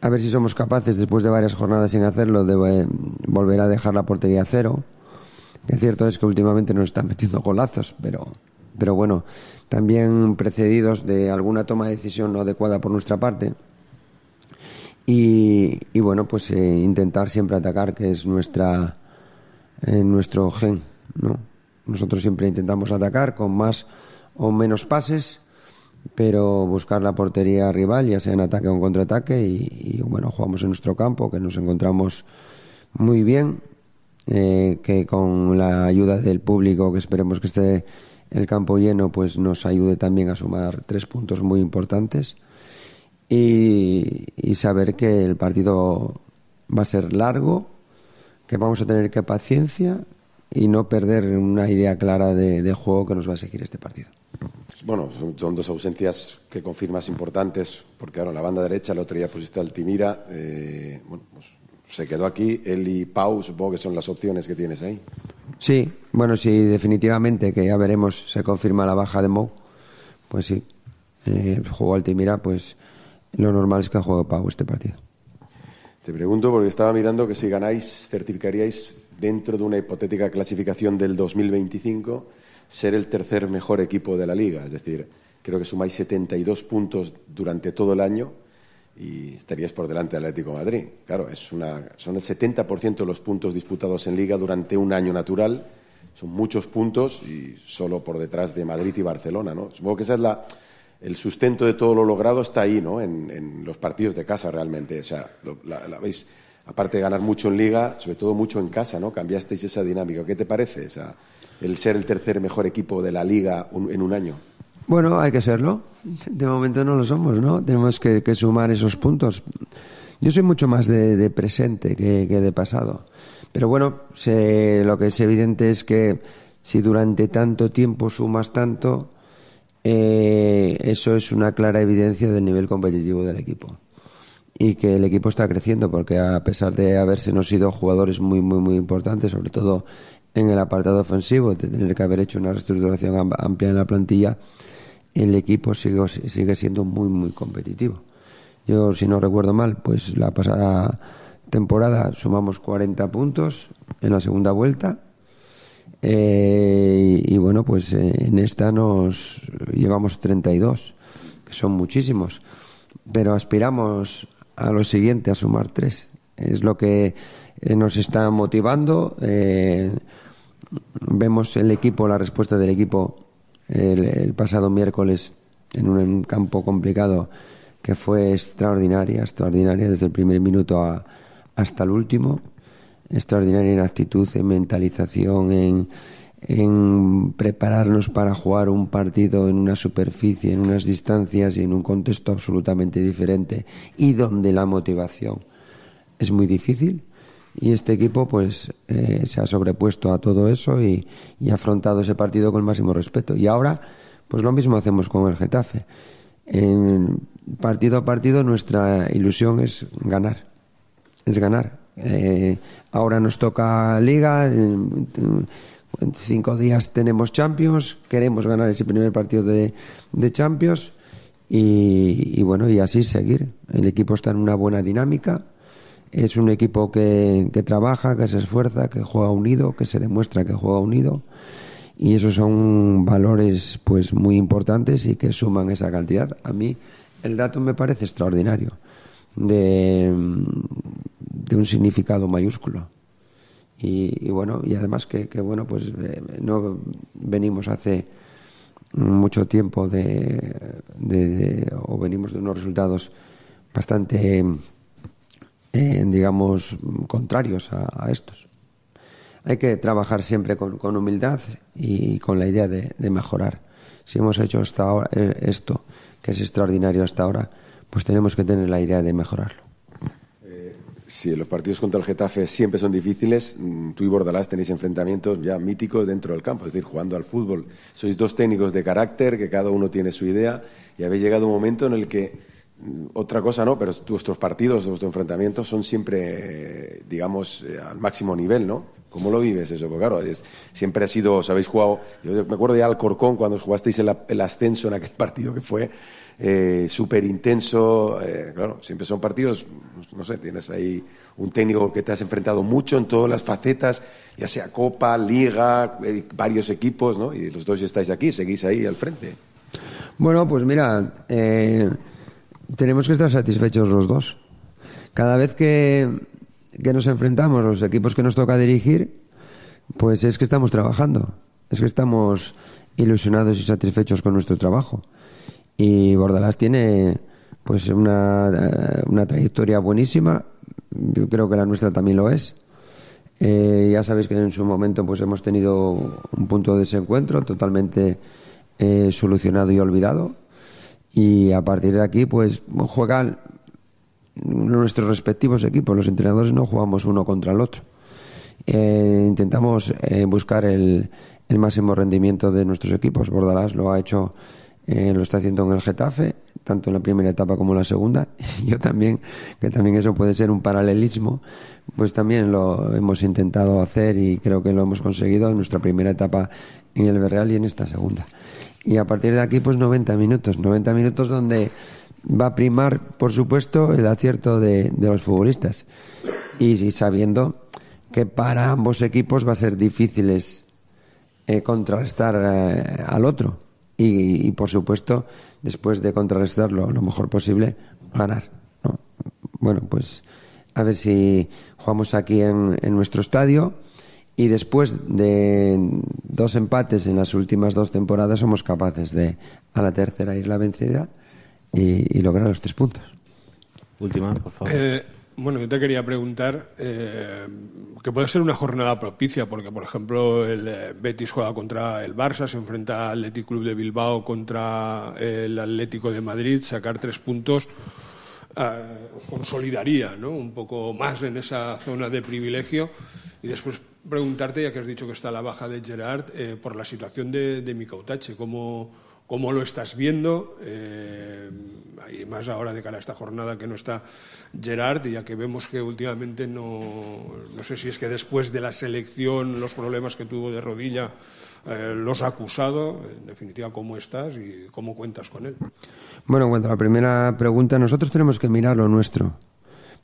A ver si somos capaces, después de varias jornadas sin hacerlo, de volver a dejar la portería a cero. Que cierto es que últimamente nos están metiendo golazos, pero bueno, también precedidos de alguna toma de decisión no adecuada por nuestra parte. Y bueno, pues intentar siempre atacar, que es nuestro gen, ¿no? Nosotros siempre intentamos atacar con más o menos pases, pero buscar la portería rival, ya sea en ataque o en contraataque, y bueno, jugamos en nuestro campo, que nos encontramos muy bien, que con la ayuda del público, que esperemos que esté el campo lleno, pues nos ayude también a sumar 3 puntos muy importantes y saber que el partido va a ser largo, que vamos a tener que paciencia y no perder una idea clara de juego que nos va a exigir este partido. Bueno, son 2 ausencias que confirmas importantes, porque ahora en la banda derecha el otro día pusiste a Altimira, bueno, pues se quedó aquí, él y Pau, supongo que son las opciones que tienes ahí. Sí, bueno, sí, definitivamente, que ya veremos, se confirma la baja de Mou, pues sí, jugó Altimira, pues lo normal es que juegue Pau este partido. Te pregunto porque estaba mirando que si ganáis, certificaríais dentro de una hipotética clasificación del 2025 ser el tercer mejor equipo de la Liga, es decir, creo que sumáis 72 puntos durante todo el año y estaríais por delante del Atlético de Madrid. Claro, son el 70% de los puntos disputados en Liga durante un año natural, son muchos puntos y solo por detrás de Madrid y Barcelona, ¿no? Supongo que ese es el sustento de todo lo logrado está ahí, ¿no? En los partidos de casa realmente, o sea, la veis, aparte de ganar mucho en Liga, sobre todo mucho en casa, ¿no? Cambiasteis esa dinámica. ¿Qué te parece el ser el tercer mejor equipo de la Liga en un año? Bueno, hay que serlo. De momento no lo somos, ¿no? Tenemos que sumar esos puntos. Yo soy mucho más de presente que de pasado. Pero bueno, lo que es evidente es que si durante tanto tiempo sumas tanto, eso es una clara evidencia del nivel competitivo del equipo. Y que el equipo está creciendo, porque a pesar de habersenos ido jugadores muy, muy, muy importantes, sobre todo en el apartado ofensivo, de tener que haber hecho una reestructuración amplia en la plantilla, el equipo sigue siendo muy, muy competitivo. Yo, si no recuerdo mal, pues la pasada temporada sumamos 40 puntos en la segunda vuelta y bueno, pues en esta nos llevamos 32, que son muchísimos, pero aspiramos a lo siguiente, a sumar 3. Es lo que nos está motivando. Vemos el equipo, la respuesta del equipo el pasado miércoles en un campo complicado, que fue extraordinaria desde el primer minuto hasta el último, extraordinaria en actitud, en mentalización, en prepararnos para jugar un partido en una superficie, en unas distancias y en un contexto absolutamente diferente, y donde la motivación es muy difícil. Y este equipo pues se ha sobrepuesto a todo eso y ha afrontado ese partido con el máximo respeto. Y ahora pues lo mismo hacemos con el Getafe. En partido a partido nuestra ilusión es ganar. Ahora nos toca Liga, en 5 días tenemos Champions, queremos ganar ese primer partido de Champions y bueno, y así seguir. El equipo está en una buena dinámica. Es un equipo que trabaja, que se esfuerza, que juega unido, que se demuestra que juega unido, y esos son valores pues muy importantes y que suman esa cantidad. A mí el dato me parece extraordinario, de un significado mayúsculo y bueno, y además que bueno, pues no venimos hace mucho tiempo o venimos de unos resultados bastante digamos contrarios a estos. Hay que trabajar siempre con humildad y con la idea de mejorar. Si hemos hecho hasta ahora esto, que es extraordinario hasta ahora, pues tenemos que tener la idea de mejorarlo. Sí, los partidos contra el Getafe siempre son difíciles. Tú y Bordalás tenéis enfrentamientos ya míticos dentro del campo, es decir, jugando al fútbol. Sois 2 técnicos de carácter, que cada uno tiene su idea, y habéis llegado a un momento en el que otra cosa no, pero vuestros partidos, vuestros enfrentamientos son siempre, digamos, al máximo nivel, ¿no? ¿Cómo lo vives eso? Porque claro, siempre ha sido, os habéis jugado, yo me acuerdo ya al Alcorcón cuando jugasteis el ascenso en aquel partido que fue súper intenso, claro, siempre son partidos, no sé, tienes ahí un técnico que te has enfrentado mucho en todas las facetas, ya sea Copa, Liga, varios equipos, ¿no? Y los dos estáis aquí, seguís ahí al frente. Bueno, pues mira, tenemos que estar satisfechos los dos. Cada vez que nos enfrentamos, los equipos que nos toca dirigir, pues es que estamos trabajando, es que estamos ilusionados y satisfechos con nuestro trabajo. Y Bordalás tiene pues una trayectoria buenísima, yo creo que la nuestra también lo es. Ya sabéis que en su momento pues hemos tenido un punto de desencuentro totalmente solucionado y olvidado, y a partir de aquí pues juegan nuestros respectivos equipos. Los entrenadores no jugamos uno contra el otro. Intentamos buscar el máximo rendimiento de nuestros equipos. Bordalás lo ha hecho, lo está haciendo en el Getafe, tanto en la primera etapa como en la segunda. Yo también, que también eso puede ser un paralelismo, pues también lo hemos intentado hacer y creo que lo hemos conseguido en nuestra primera etapa en el Villarreal y en esta segunda. Y a partir de aquí pues 90 minutos donde va a primar, por supuesto, el acierto de los futbolistas, y sabiendo que para ambos equipos va a ser difíciles contrarrestar al otro y por supuesto, después de contrarrestarlo lo mejor posible, ganar, ¿no? Bueno, pues a ver si jugamos aquí en nuestro estadio y después de 2 empates en las últimas 2 temporadas somos capaces de a la tercera ir la vencida y lograr los 3 puntos. Última, por favor. Bueno, yo te quería preguntar que puede ser una jornada propicia, porque, por ejemplo, el Betis juega contra el Barça, se enfrenta al Athletic Club de Bilbao contra el Atlético de Madrid. Sacar 3 puntos os consolidaría, ¿no?, un poco más en esa zona de privilegio. Y después preguntarte, ya que has dicho que está la baja de Gerard, por la situación de Mika Utache, ¿cómo lo estás viendo? Y más ahora de cara a esta jornada que no está Gerard, ya que vemos que últimamente no sé si es que después de la selección los problemas que tuvo de rodilla los ha acusado. En definitiva, ¿cómo estás y cómo cuentas con él? Bueno, en cuanto a la primera pregunta, nosotros tenemos que mirar lo nuestro,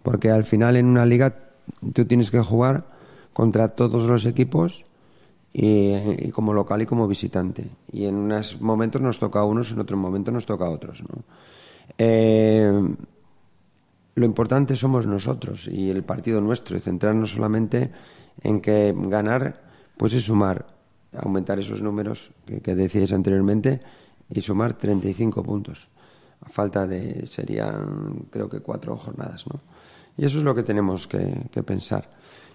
porque al final en una liga tú tienes que jugar contra todos los equipos y como local y como visitante, y en unos momentos nos toca a unos, en otros momentos nos toca a otros, ¿no? Lo importante somos nosotros y el partido nuestro, y centrarnos solamente en que ganar pues es sumar, aumentar esos números que decíais anteriormente y sumar 35 puntos a falta de, serían creo que 4 jornadas, ¿no? Y eso es lo que tenemos que pensar.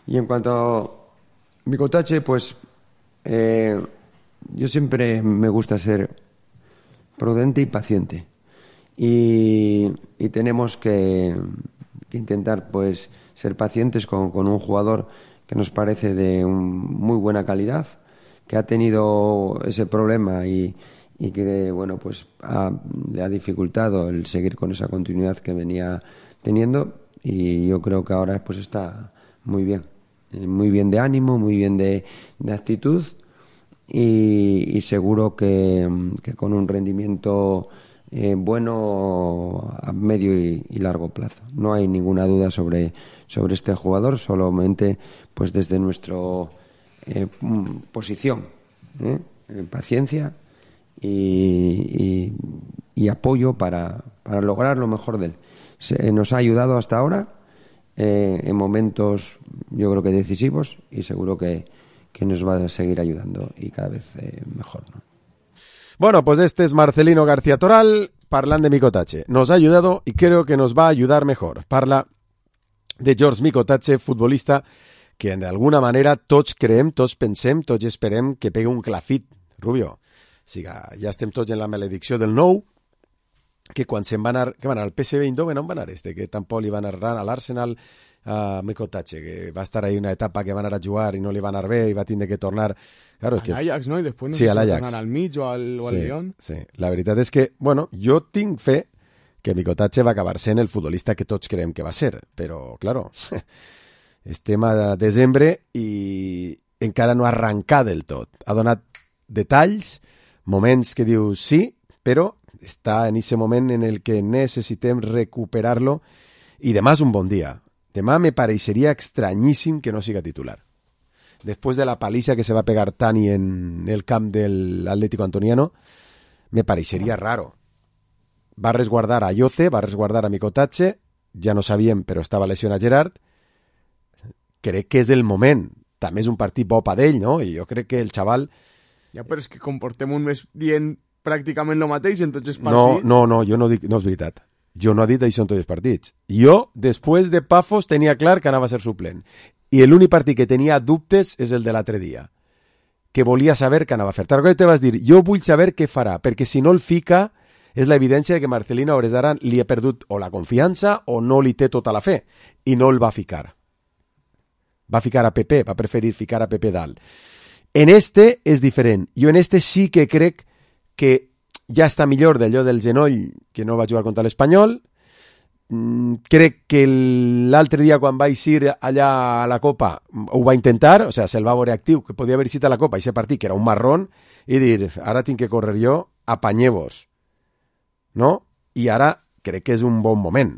Y en cuanto a Mika Utache, pues yo siempre me gusta ser prudente y paciente, y tenemos que intentar pues ser pacientes con un jugador que nos parece de muy buena calidad, que ha tenido ese problema y que bueno pues le ha dificultado el seguir con esa continuidad que venía teniendo, y yo creo que ahora pues está muy bien de ánimo, muy bien de actitud, y seguro que con un rendimiento bueno a medio y largo plazo. No hay ninguna duda sobre este jugador, solamente pues desde nuestra posición, paciencia y apoyo para lograr lo mejor de él. Nos ha ayudado hasta ahora en momentos yo creo que decisivos, y seguro que nos va a seguir ayudando y cada vez mejor, ¿no? Bueno, pues este es Marcelino García Toral, parlant de Mika Utache. Nos ha ayudado y creo que nos va a ayudar mejor. Parla de George Mika Utache, futbolista que de alguna manera tots creem, tots pensem, tots esperem que pegui un clafit, Rubio. O sigui, ja estem tots en la maledicció del nou, que quan se'n va anar, que van anar al PSV Eindhoven, on va anar que tampoc li van anar a l'Arsenal, a Mika Utache, que va estar ahí una etapa que va anar a jugar i no li va anar bé i va tindre que tornar... Claro, al Ajax, ¿no? Y después no sí, sé si tornar al Mitch o al Lyon. Sí, la veritat és que, bueno, jo tinc fe que Mika Utache va acabar sent el futbolista que tots creiem que va ser, però, claro, estem a desembre i encara no ha arrencat del tot. Ha donat detalls, moments que dius sí, però està en ese moment en el que necessitem recuperar-lo, i demà és un bon dia. Demà me pareixeria estranyíssim que no siga titular. Después de la paliza que se va a pegar Tani en el camp del Atlético Antoniano, me parecería raro. Va a resguardar a Yoce, va a resguardar a Mika Utache, ja no sabíem, però estava lesionat Gerard. Crec que és el moment. També és un partit bo per ell, no? I jo crec que el xaval... Ja, però és que comportem un mes dient pràcticament el mateix en tots els partits. No, jo no dic, no és veritat. Jo no he dit això en tots els partits. Jo, després de Pafos, tenia clar que anava a ser suplent. i l'únic partit que tenia dubtes és el de l'altre dia, que volia saber què anava a fer. Tarragona te vas dir, jo vull saber què farà, perquè si no el fica és l'evidència de que Marcelino a hores d'ara li ha perdut o la confiança o no li té tota la fe, i no el va ficar. Va ficar a Pepe, va preferir ficar a Pepe dalt. En este és diferent. Jo en este sí que crec que ja està millor d'allò del genoll que no va jugar contra l'Espanyol. Crec que l'altre dia quan va eixir allà a la Copa ho va intentar, o sigui, se'l va veure actiu, que podia haver eixit a la Copa i aquest partit que era un marrón, i dir, ara tinc que córrer jo, apanyeu-vos. No? I ara crec que és un bon moment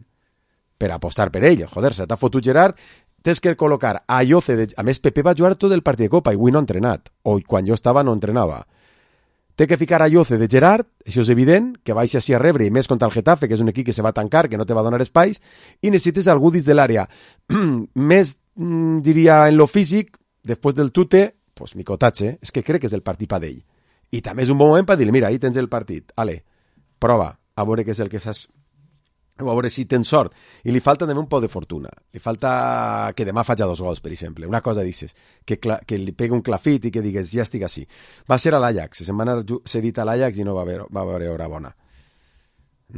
per apostar per ell. Joder, se t'ha fotut Gerard, tens que col·locar a Ayoce. A més, Pepe va jugar tot el partit de Copa i avui no ha entrenat, o quan jo estava no entrenava. Té que ficar a Ayoce de Gerard, això és evident, que baixa així a rebre, i més contra el Getafe, que és un equip que se va tancar, que no te va donar espais, i necessites algú dins de l'àrea. Més, diria, en lo físic, després del tute, pues Micotatge, és que crec que és el partit per d'ell. I també és un bon moment per dir-li, mira, ahí tens el partit, ale, prova, a veure què és el que saps, a veure si tens sort. I li falta també un poc de fortuna. Li falta que demà faci 2 gols, per exemple. Una cosa dices, que li pegui un clafit i que digues, ja estic així. Va ser a l'Ajax, se'n va anar cedit a l'Ajax i no va haver hora bona.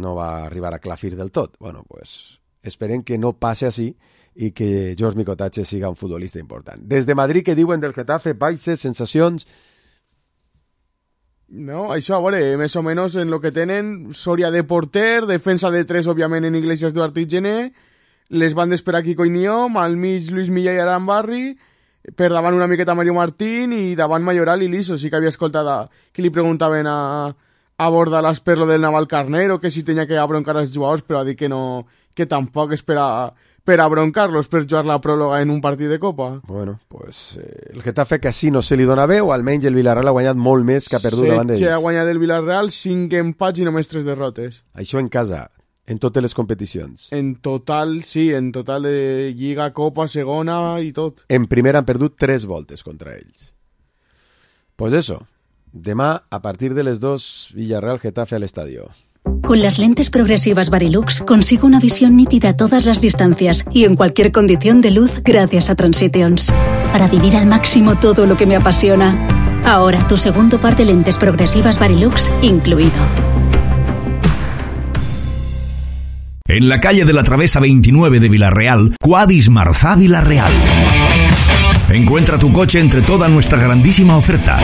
No va arribar a clafir del tot. Bueno, pues esperem que no passe així i que George Micotatge siga un futbolista important. Des de Madrid, que diuen del Getafe, baixes, sensacions... No, això, a veure, més o menys en lo que tenen, Soria de porter, defensa de 3, òbviament, en Iglesias, Duarte i Gené, les bandes per aquí Coiniom, al mig Luis Milla i Arambarri, per davant una miqueta Mario Martín i davant Mayoral i Liso. Sí que havia escoltat que li preguntaven a Bordalas per lo del Navalcarnero, que si tenia que abroncar els jugadors, però ha dit que no, que tampoc és per abroncar-los per jugar la pròloga en un partit de Copa. Bueno, pues el Getafe que així no se li dona bé, o almenys el Villarreal ha guanyat molt més que ha perdut davant d'ells. Ha guanyat el Villarreal 5 empats i només 3 derrotes. Això en casa, en totes les competicions. En total, sí, en total de Lliga, Copa, Segona i tot. En primera han perdut 3 voltes contra ells. Pues eso, demà a partir de les 2, Villarreal-Getafe al estadio. Con las lentes progresivas Varilux consigo una visión nítida a todas las distancias y en cualquier condición de luz gracias a Transitions. Para vivir al máximo todo lo que me apasiona. Ahora tu segundo par de lentes progresivas Varilux incluido. En la calle de la Travesa 29 de Villarreal, Quadis Marzá Villarreal. Encuentra tu coche entre toda nuestra grandísima oferta.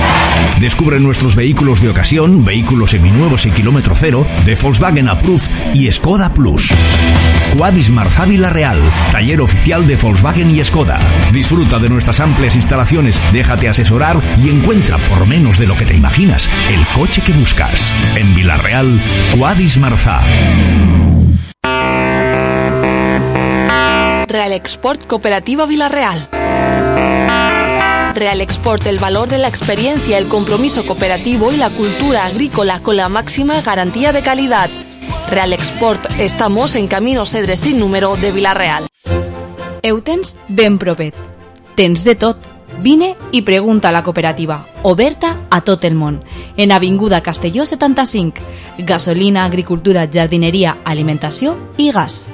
Descubre nuestros vehículos de ocasión, vehículos seminuevos y kilómetro cero, de Volkswagen Approved y Skoda Plus. Quadis Marzá Villarreal, taller oficial de Volkswagen y Skoda. Disfruta de nuestras amplias instalaciones, déjate asesorar y encuentra por menos de lo que te imaginas el coche que buscas. En Villarreal, Quadis Marzá. Real Export Cooperativa Villarreal. Real Export, el valor de la experiencia, el compromiso cooperativo y la cultura agrícola con la máxima garantía de calidad. Real Export, estamos en Camino Cedres sin número de Villarreal. Eutens ben propet. Tens de tot. Vine i pregunta a la cooperativa, oberta a tot el món. En Avinguda Castelló 75. Gasolina, agricultura, jardineria, alimentació i gas.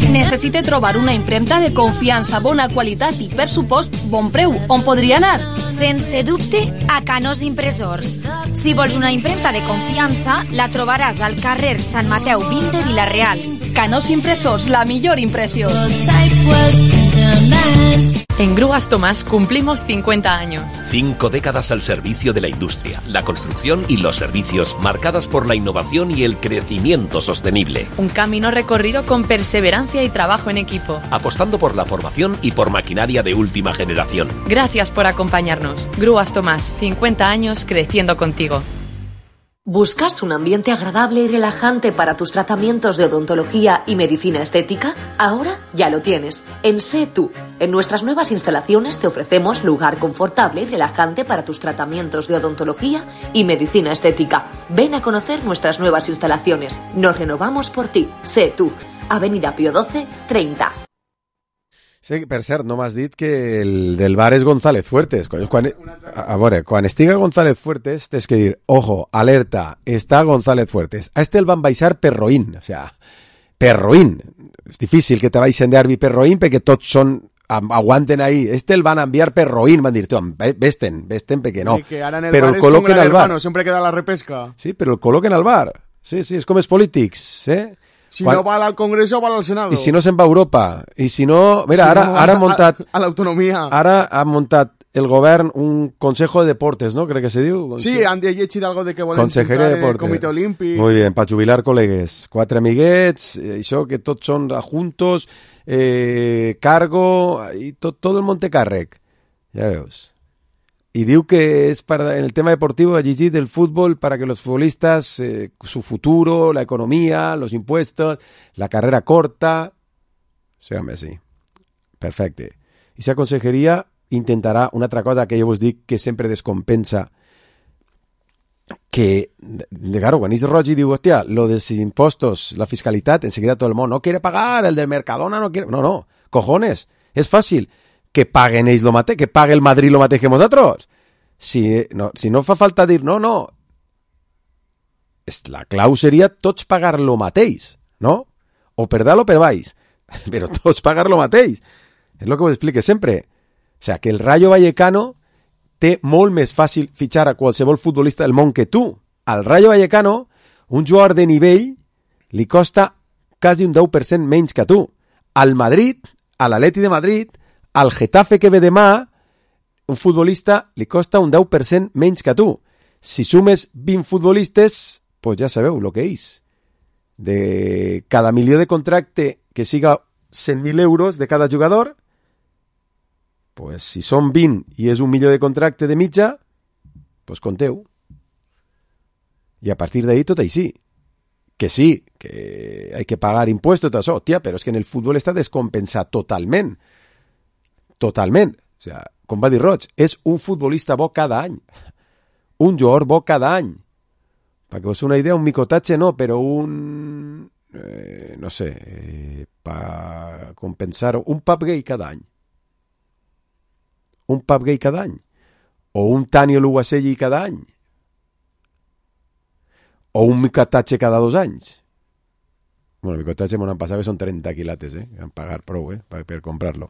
Necessite trobar una impremta de confiança, bona qualitat i, per supost, bon preu. On podria anar? Sense dubte, a Canós Impressors. Si vols una impremta de confiança, la trobaràs al carrer Sant Mateu 20 de Villarreal. Canós Impressors, la millor impressió. En Grúas Tomás cumplimos 50 años. 5 décadas al servicio de la industria, la construcción y los servicios, marcadas por la innovación y el crecimiento sostenible. Un camino recorrido con perseverancia y trabajo en equipo. Apostando por la formación y por maquinaria de última generación. Gracias por acompañarnos. Grúas Tomás, 50 años creciendo contigo. ¿Buscas un ambiente agradable y relajante para tus tratamientos de odontología y medicina estética? Ahora ya lo tienes. En Sé Tú. En nuestras nuevas instalaciones te ofrecemos lugar confortable y relajante para tus tratamientos de odontología y medicina estética. Ven a conocer nuestras nuevas instalaciones. Nos renovamos por ti. Sé Tú. Avenida Pío XII, 30. Sí, per cert, no m'has dit que el del bar és González Fuertes. A veure, quan estiga González Fuertes, tens que dir, ojo, alerta, està González Fuertes. A este el van baixar per roïn, o sea, Roín. És difícil que te vagin derbi per Roín perquè tots aguanten ahí. El van a enviar per Roín, van dir, vesten perquè no. Que ara en el però bar el col·loquen al bar. Sempre queda la repesca. Sí, però el col·loquen al bar. Sí, és com els polítics, Si no va al Congreso, va al Senado. I si no se'n va a Europa. I si no... Mira, ara han muntat... A l'autonomia. Ara han muntat el govern un Consejo de Deportes, ¿no? Crec que se diu. Sí, han llegit algo de que volen Consejería de Deportes. el Comitè Olímpic. Muy bien, para jubilar col·legues. 4 amiguets, això que tots són adjuntos, cargo, i tot el Montecàrrec. Ja veus. Y diu que es para en el tema deportivo allí del fútbol para que los futbolistas su futuro, la economía, los impuestos, la carrera corta, sí, home, sí. Perfecte. I esa consejeria intentarà una altra cosa que jo vos dic que sempre descompensa, que, claro, quan és roig i diu, hòstia, lo dels impostos, la fiscalitat, enseguida tot el món, no quiere pagar, el del Mercadona no quiere... No, cojones, és fàcil. Que paguen ells lo mateix, que pague el Madrid lo mateix que nosaltres. Si no fa falta dir, no. La clau seria tots pagar lo mateix, no? O per dalt o per baix. Però tots pagar lo mateix. És el que vos explique sempre. O sea, que el Rayo Vallecano té molt més fàcil fitxar a qualsevol futbolista del món que tu. Al Rayo Vallecano, un jugador de nivell li costa quasi un 10% menys que tu. Al Madrid, a l'Atleti de Madrid, al Getafe que ve demà, un futbolista li costa un 10% menys que tu. Si sumes 20 futbolistes, pues ja sabeu el que és. De cada milió de contracte que siga 100.000 euros de cada jugador, pues si són 20 i és 1 milió de contracte de mitja, pues conteu. I a partir d'ahí tot així. Que sí, que hay que pagar impuestos, tot això, tia, però és que en el futbol està descompensat totalment. Totalment. O sea, com va dir Roig, és un futbolista bo cada any. Un jugador bo cada any. Para que us una idea, un micotatge no, però un... no sé, para compensar un pub gay cada any. Un pub gay cada any. O un Tani Luwaselli cada any. O un micotatge cada 2 anys. Bueno, el micotatge m'ho han passat que són 30 quilates, han pagar prou, per comprarlo.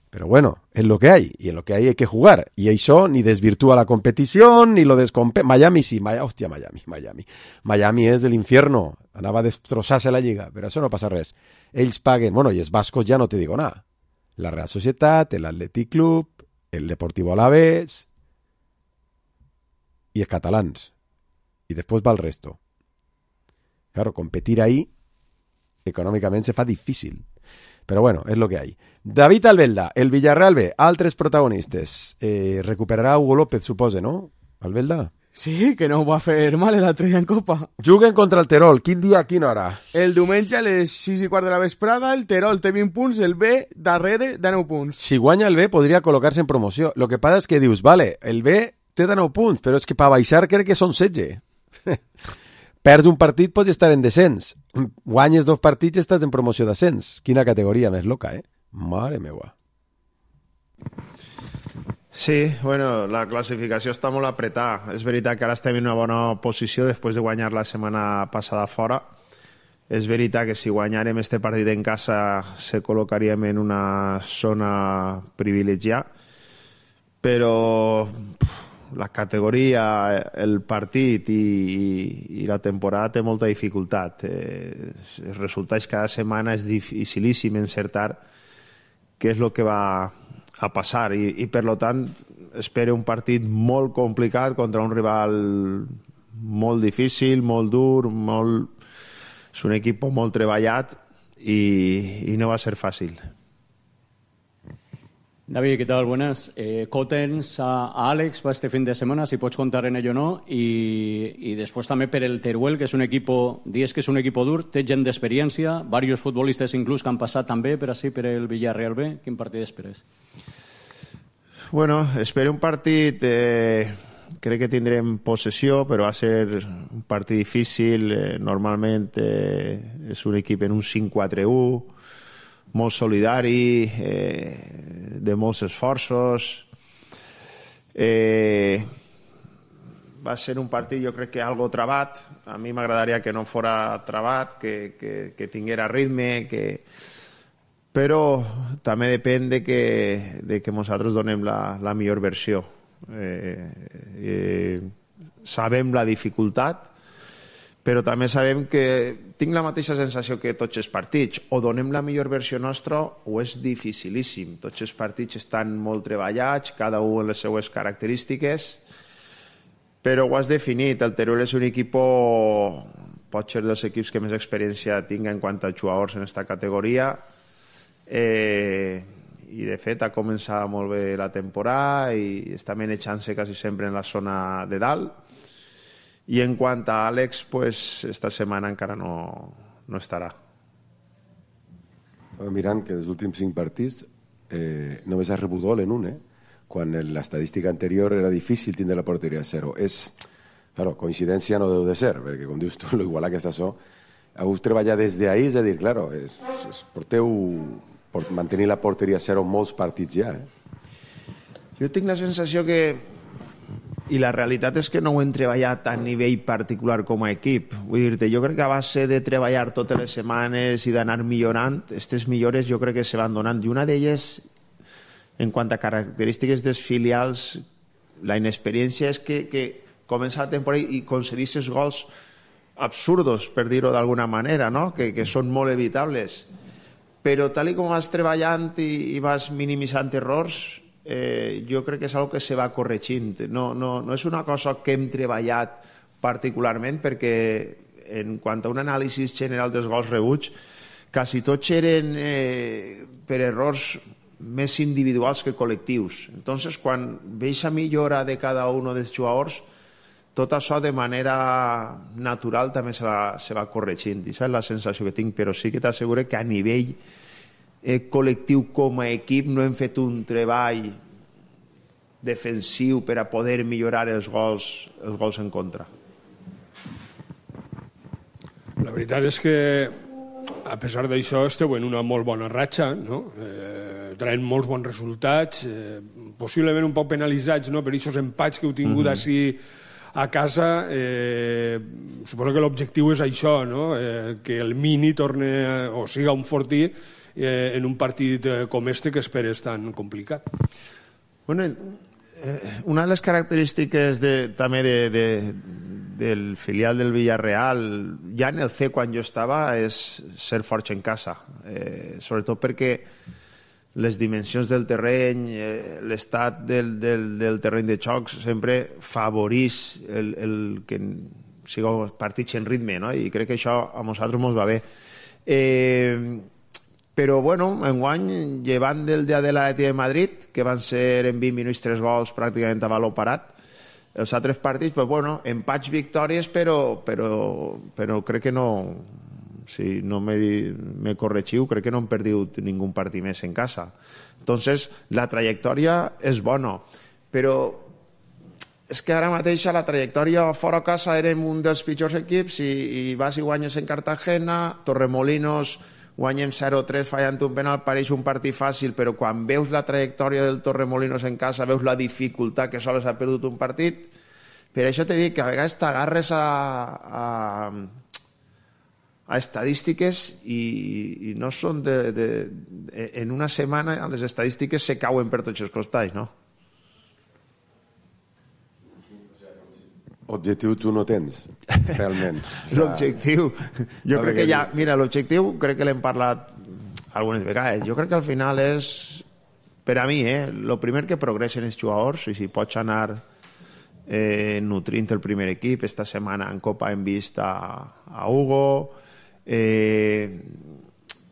Pero bueno, es lo que hay, y en lo que hay que jugar. Y això ni desvirtúa la competición, ni lo descompensa. Miami sí, hòstia, Miami. Miami és de l'infierno. Anava a destrossar-se la lliga, però això no passa res. Ells paguen, bueno, i els bascos ja no te digo nada. La Real Societat, el Athletic Club, el Deportivo Alavés, y els catalans. Y después va el resto. Claro, competir ahí, econòmicament se fa difícil. Pero bueno, es lo que hay. David Albelda, el Villarreal B, altres protagonistes. Recuperarà Hugo López, supose, no? Albelda? Sí, que no ho va fer mal l'altre dia en Copa. Juguen contra el Terol. Quin dia, a quina hora? El diumenge a les 6:15 de la vesprada, el Terol té 20 punts, el B darrere de 9 punts. Si guanya el B, podria col·locar-se en promoció. Lo que passa és que dius, vale, el B té de 9 punts, però és que per baixar crec que són 16. Perds un partit, pots estar en descens. Guanyes 2 partits i estàs en promoció d'ascens. Quina categoria més loca, Mare meua. Sí, bueno, la classificació està molt apretada. És veritat que ara estem en una bona posició després de guanyar la setmana passada fora. És veritat que si guanyarem este partit en casa se col·locaríem en una zona privilegiada, però la categoria, el partit i la temporada té molta dificultat. Els resultats cada setmana és dificilíssim encertar què és el que va a passar i per tant espero un partit molt complicat contra un rival molt difícil, molt dur, és un equip molt treballat i no va ser fàcil. David, ¿qué tal? Buenas. Cotens a Alex para este fin de semana, si pots contar en ello o no, y después también per el Teruel, que és un equipo, dius que és un equipo dur, té gent d'experiència, varios futbolistes inclús que han passat també per així per el Villarreal B. Quin partit esperes? Bueno, espero un partit, crec que tindrem possessió, però va ser un partit difícil, normalment és un equip en un 5-4-1, molt solidari, de molts esforços. va ser un partit, jo crec que algo trabat. A mi m'agradaria que no fora trabat, que tinguera ritme, però també depèn de que nosaltres donem la millor versió. Sabem la dificultat, però també sabem que tinc la mateixa sensació que tots els partits. O donem la millor versió nostra o és dificilíssim. Tots els partits estan molt treballats, cada un amb les seues característiques, però ho has definit. El Teruel és un equip, pot ser dels equips que més experiència tinga en quant a jugadors en aquesta categoria, i de fet ha començat molt bé la temporada i està manejant-se quasi sempre en la zona de dalt. I en quant a Àlex, pues, esta setmana encara no estarà. Mirant que dels últims 5 partits només ha rebut gol en un, quan en l'estadística anterior era difícil tindre la porteria a 0. Claro, coincidència no deu de ser, perquè com dius tu, l'igualar que està so, heu treballat des d'ahir, és a dir, claro, porteu per mantenir la porteria a 0 molts partits ja. Jo tinc la sensació que, i la realitat és que no ho hem treballat a nivell particular com a equip. Vull dir-te, jo crec que a base de treballar totes les setmanes i d'anar millorant, aquestes millores jo crec que se van donant. I una d'elles, en quant a característiques dels filials, la inexperiència és que comença la temporada i concedisses gols absurdos, per dir-ho d'alguna manera, no? que són molt evitables. Però tal com vas treballant i vas minimitzant errors, jo crec que és una que se va corregint. No és una cosa que hem treballat particularment, perquè en quant a un anàlisi general dels gols rebuts, quasi tots eren per errors més individuals que col·lectius. Entonces, quan veig la millora de cada un dels jugadors, tot això de manera natural també se va corregint. I és la sensació que tinc, però sí que t'asseguro que a nivell col·lectiu com a equip no hem fet un treball defensiu per a poder millorar els gols en contra. La veritat és que a pesar d'això esteu en una molt bona ratxa, no? Traient molts bons resultats, possiblement un poc penalitzats, no? Per aquests empats que heu tingut així a casa. Suposo que l'objectiu és això, no? Que el Mini torne o siga un fortí en un partit com este que esperes tan complicat. Bueno, una de les característiques també del filial del Villarreal, ja en el C quan jo estava, és ser forts en casa, sobretot perquè les dimensions del terreny, l'estat del terreny de xocs sempre favoreix el que siguin partits en ritme, no? I crec que això a nosaltres ens va bé. Però, bueno, enguany, llevant del dia de l'Atlètic de Madrid, que van ser en 20 minuts 3 gols pràcticament a valor parat, els altres partits, pues, bueno, empats, victòries, però crec que no, si no me corregiu, crec que no hem perdut ningú partit més en casa. Entonces, la trajectòria és bona, però és que ara mateix a la trajectòria fora casa érem un dels pitjors equips i vas i guanyes en Cartagena, Torremolinos guanyem 0-3 fallant un penal, pareix un partit fàcil, però quan veus la trajectòria del Torremolinos en casa, veus la dificultat que sols ha perdut un partit. Per això t'he dit que a vegades t'agarres a estadístiques i no són en una setmana les estadístiques se cauen per tots els costats, no? Objectiu tu no tens, realment. L'objectiu, jo crec que ja... Mira, l'objectiu crec que l'hem parlat algunes vegades. Jo crec que al final és, per a mi, el primer que progressen els jugadors, i si pots anar nutrint el primer equip. Esta setmana en Copa hem vist a Hugo,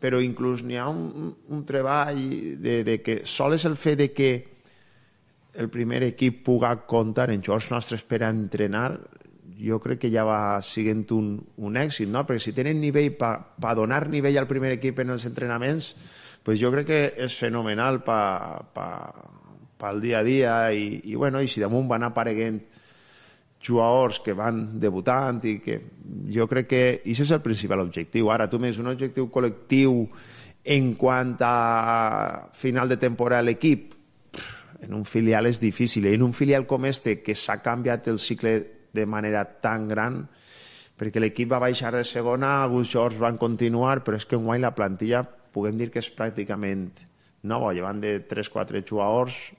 però inclús n'hi ha un treball de que sols el fet de que el primer equip pugui comptar en jugadors nostres per a entrenar, jo crec que ja va sent un èxit, no? Perquè si tenen nivell per donar nivell al primer equip en els entrenaments, pues jo crec que és fenomenal pel dia a dia i si damunt van apareguent jugadors que van debutant i que jo crec que això és el principal objectiu. Ara tu més un objectiu col·lectiu en quant a final de temporada a l'equip, en un filial és difícil, i en un filial com este que s'ha canviat el cicle de manera tan gran, perquè l'equip va baixar de segona, alguns jugadors van continuar, però és que enguany la plantilla puguem dir que és pràcticament nova, llevant de 3-4 jugadors,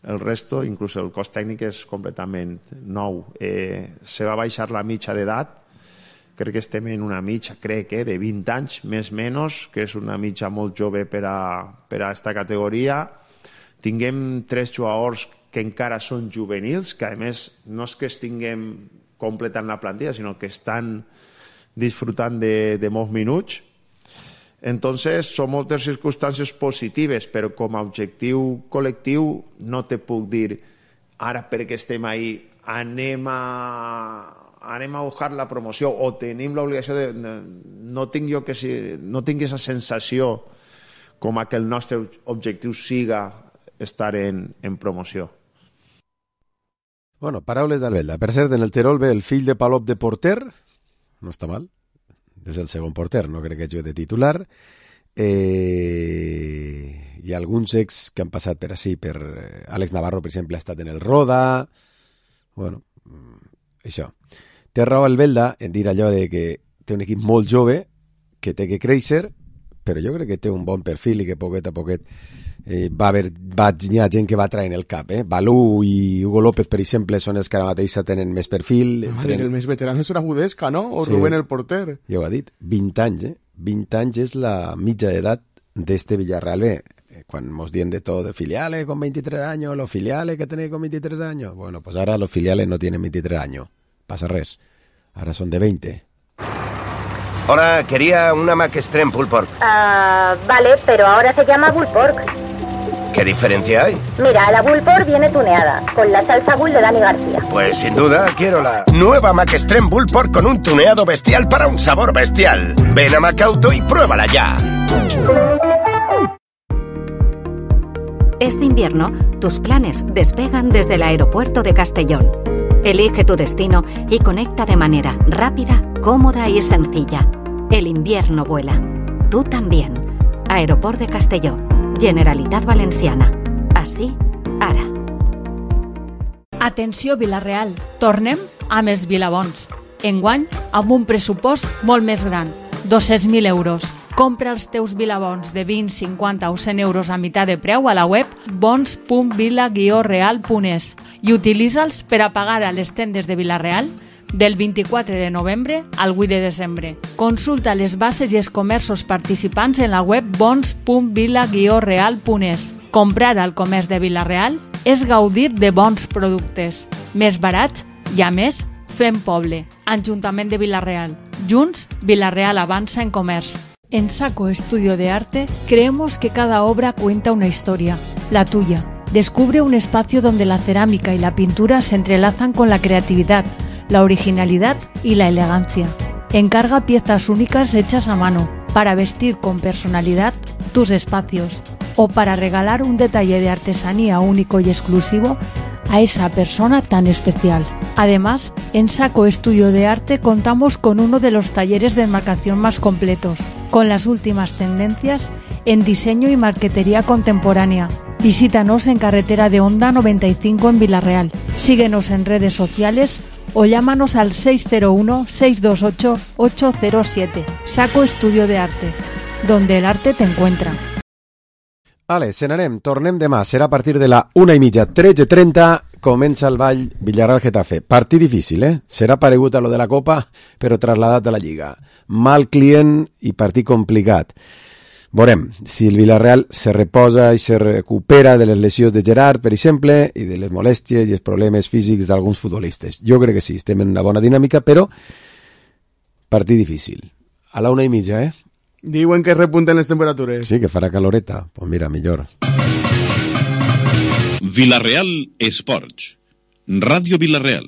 el resto, inclús el cos tècnic és completament nou. Se va baixar la mitja d'edat, crec que estem en una mitja, de 20 anys, més o menys, que és una mitja molt jove per a esta categoria. Tinguem 3 jugadors que encara són juvenils, que a més no és que estiguem completant la plantilla, sinó que estan disfrutant de molts minuts. Entonces, són moltes circumstàncies positives, però com a objectiu col·lectiu no te puc dir ara perquè estem ahí anem a buscar la promoció o tenim l'obligació de... No tinc aquesta sensació com a que el nostre objectiu siga estar en promoció. Bueno, paraules d'Albelda. Per cert, en el Terol ve el fill de Palop de porter, no està mal, és el segon porter, no crec que hagi de titular. Hi ha alguns ex que han passat per així, per Àlex Navarro, per exemple, ha estat en el Roda. Bueno, això. Té raó Albelda en dir allò de que té un equip molt jove, que té que créixer, però jo crec que té un bon perfil i que poquet a poquet hi ha gent que va traient el cap. Balú i Hugo López, per exemple, són els que ara mateix tenen més perfil. El més veterano serà Budesca, no? O sí. Rubén el porter. Ja ho ha dit. 20 anys, 20 anys és la mitja d'edat d'este Villarreal B. Quan mos dien de todo, de filiales con 23 años, los filiales que tenéis con 23 años. Bueno, pues ahora los filiales no tienen 23 años. Pasa res. Ahora son de 20. Hola, quería una Mac Extreme Pulled Pork. Vale, pero ahora se llama Pulled Pork. ¿Qué diferencia hay? Mira, la Pulled Pork viene tuneada, con la salsa Bull de Dani García. Pues sin duda quiero la nueva Mac Extreme Pulled Pork con un tuneado bestial para un sabor bestial. Ven a Macauto y pruébala ya. Este invierno, tus planes despegan desde el aeropuerto de Castellón. Elige tu destino y conecta de manera rápida, cómoda y sencilla. El invierno vuela. Tú también. Aeroport de Castelló. Generalitat Valenciana. Així, ara. Atenció Vila-real, tornem amb els Vilabons. Enguany, amb un pressupost molt més gran, 200.000 euros. Compra els teus Vilabons de 20, 50 o 100 euros a meitat de preu a la web bons.vila-real.es i utilitza'ls per a pagar a les tendes de Vila-real del 24 de novembre al 8 de desembre. Consulta les bases i els comerços participants en la web bons.vila-real.es. Comprar al comerç de Vila-real és gaudir de bons productes, més barats i, a més, fem poble. Ajuntament de Vila-real. Junts, Vila-real avanza en comerç. En Saco Estudio de Arte creemos que cada obra cuenta una historia, la tuya. Descubre un espacio donde la cerámica y la pintura se entrelazan con la creatividad, la originalidad y la elegancia. Encarga piezas únicas hechas a mano para vestir con personalidad tus espacios o para regalar un detalle de artesanía único y exclusivo a esa persona tan especial. Además, en Saco Estudio de Arte contamos con uno de los talleres de enmarcación más completos, con las últimas tendencias en diseño y marquetería contemporánea. Visítanos en Carretera de Honda 95 en Vila-real. Síguenos en redes sociales o llámanos al 601-628-807. Saco Estudio de Arte, donde el arte te encuentra. Vale, se n'anem, tornem demà. Serà a partir de la 1:30, 13:30, comença el ball Villarreal-Getafe. Partit difícil, Serà paregut a lo de la Copa, però trasladat a la Lliga. Mal client i partit complicat. Veurem si el Villarreal se reposa i se recupera de les lesions de Gerard, per exemple, i de les molèsties i els problemes físics d'alguns futbolistes. Jo crec que sí, estem en una bona dinàmica, però partit difícil. A la 1:30, Diuen que repunten les temperatures. Sí, que farà caloreta. Pues mira, millor. Vila-real Esports. Ràdio Vila-real.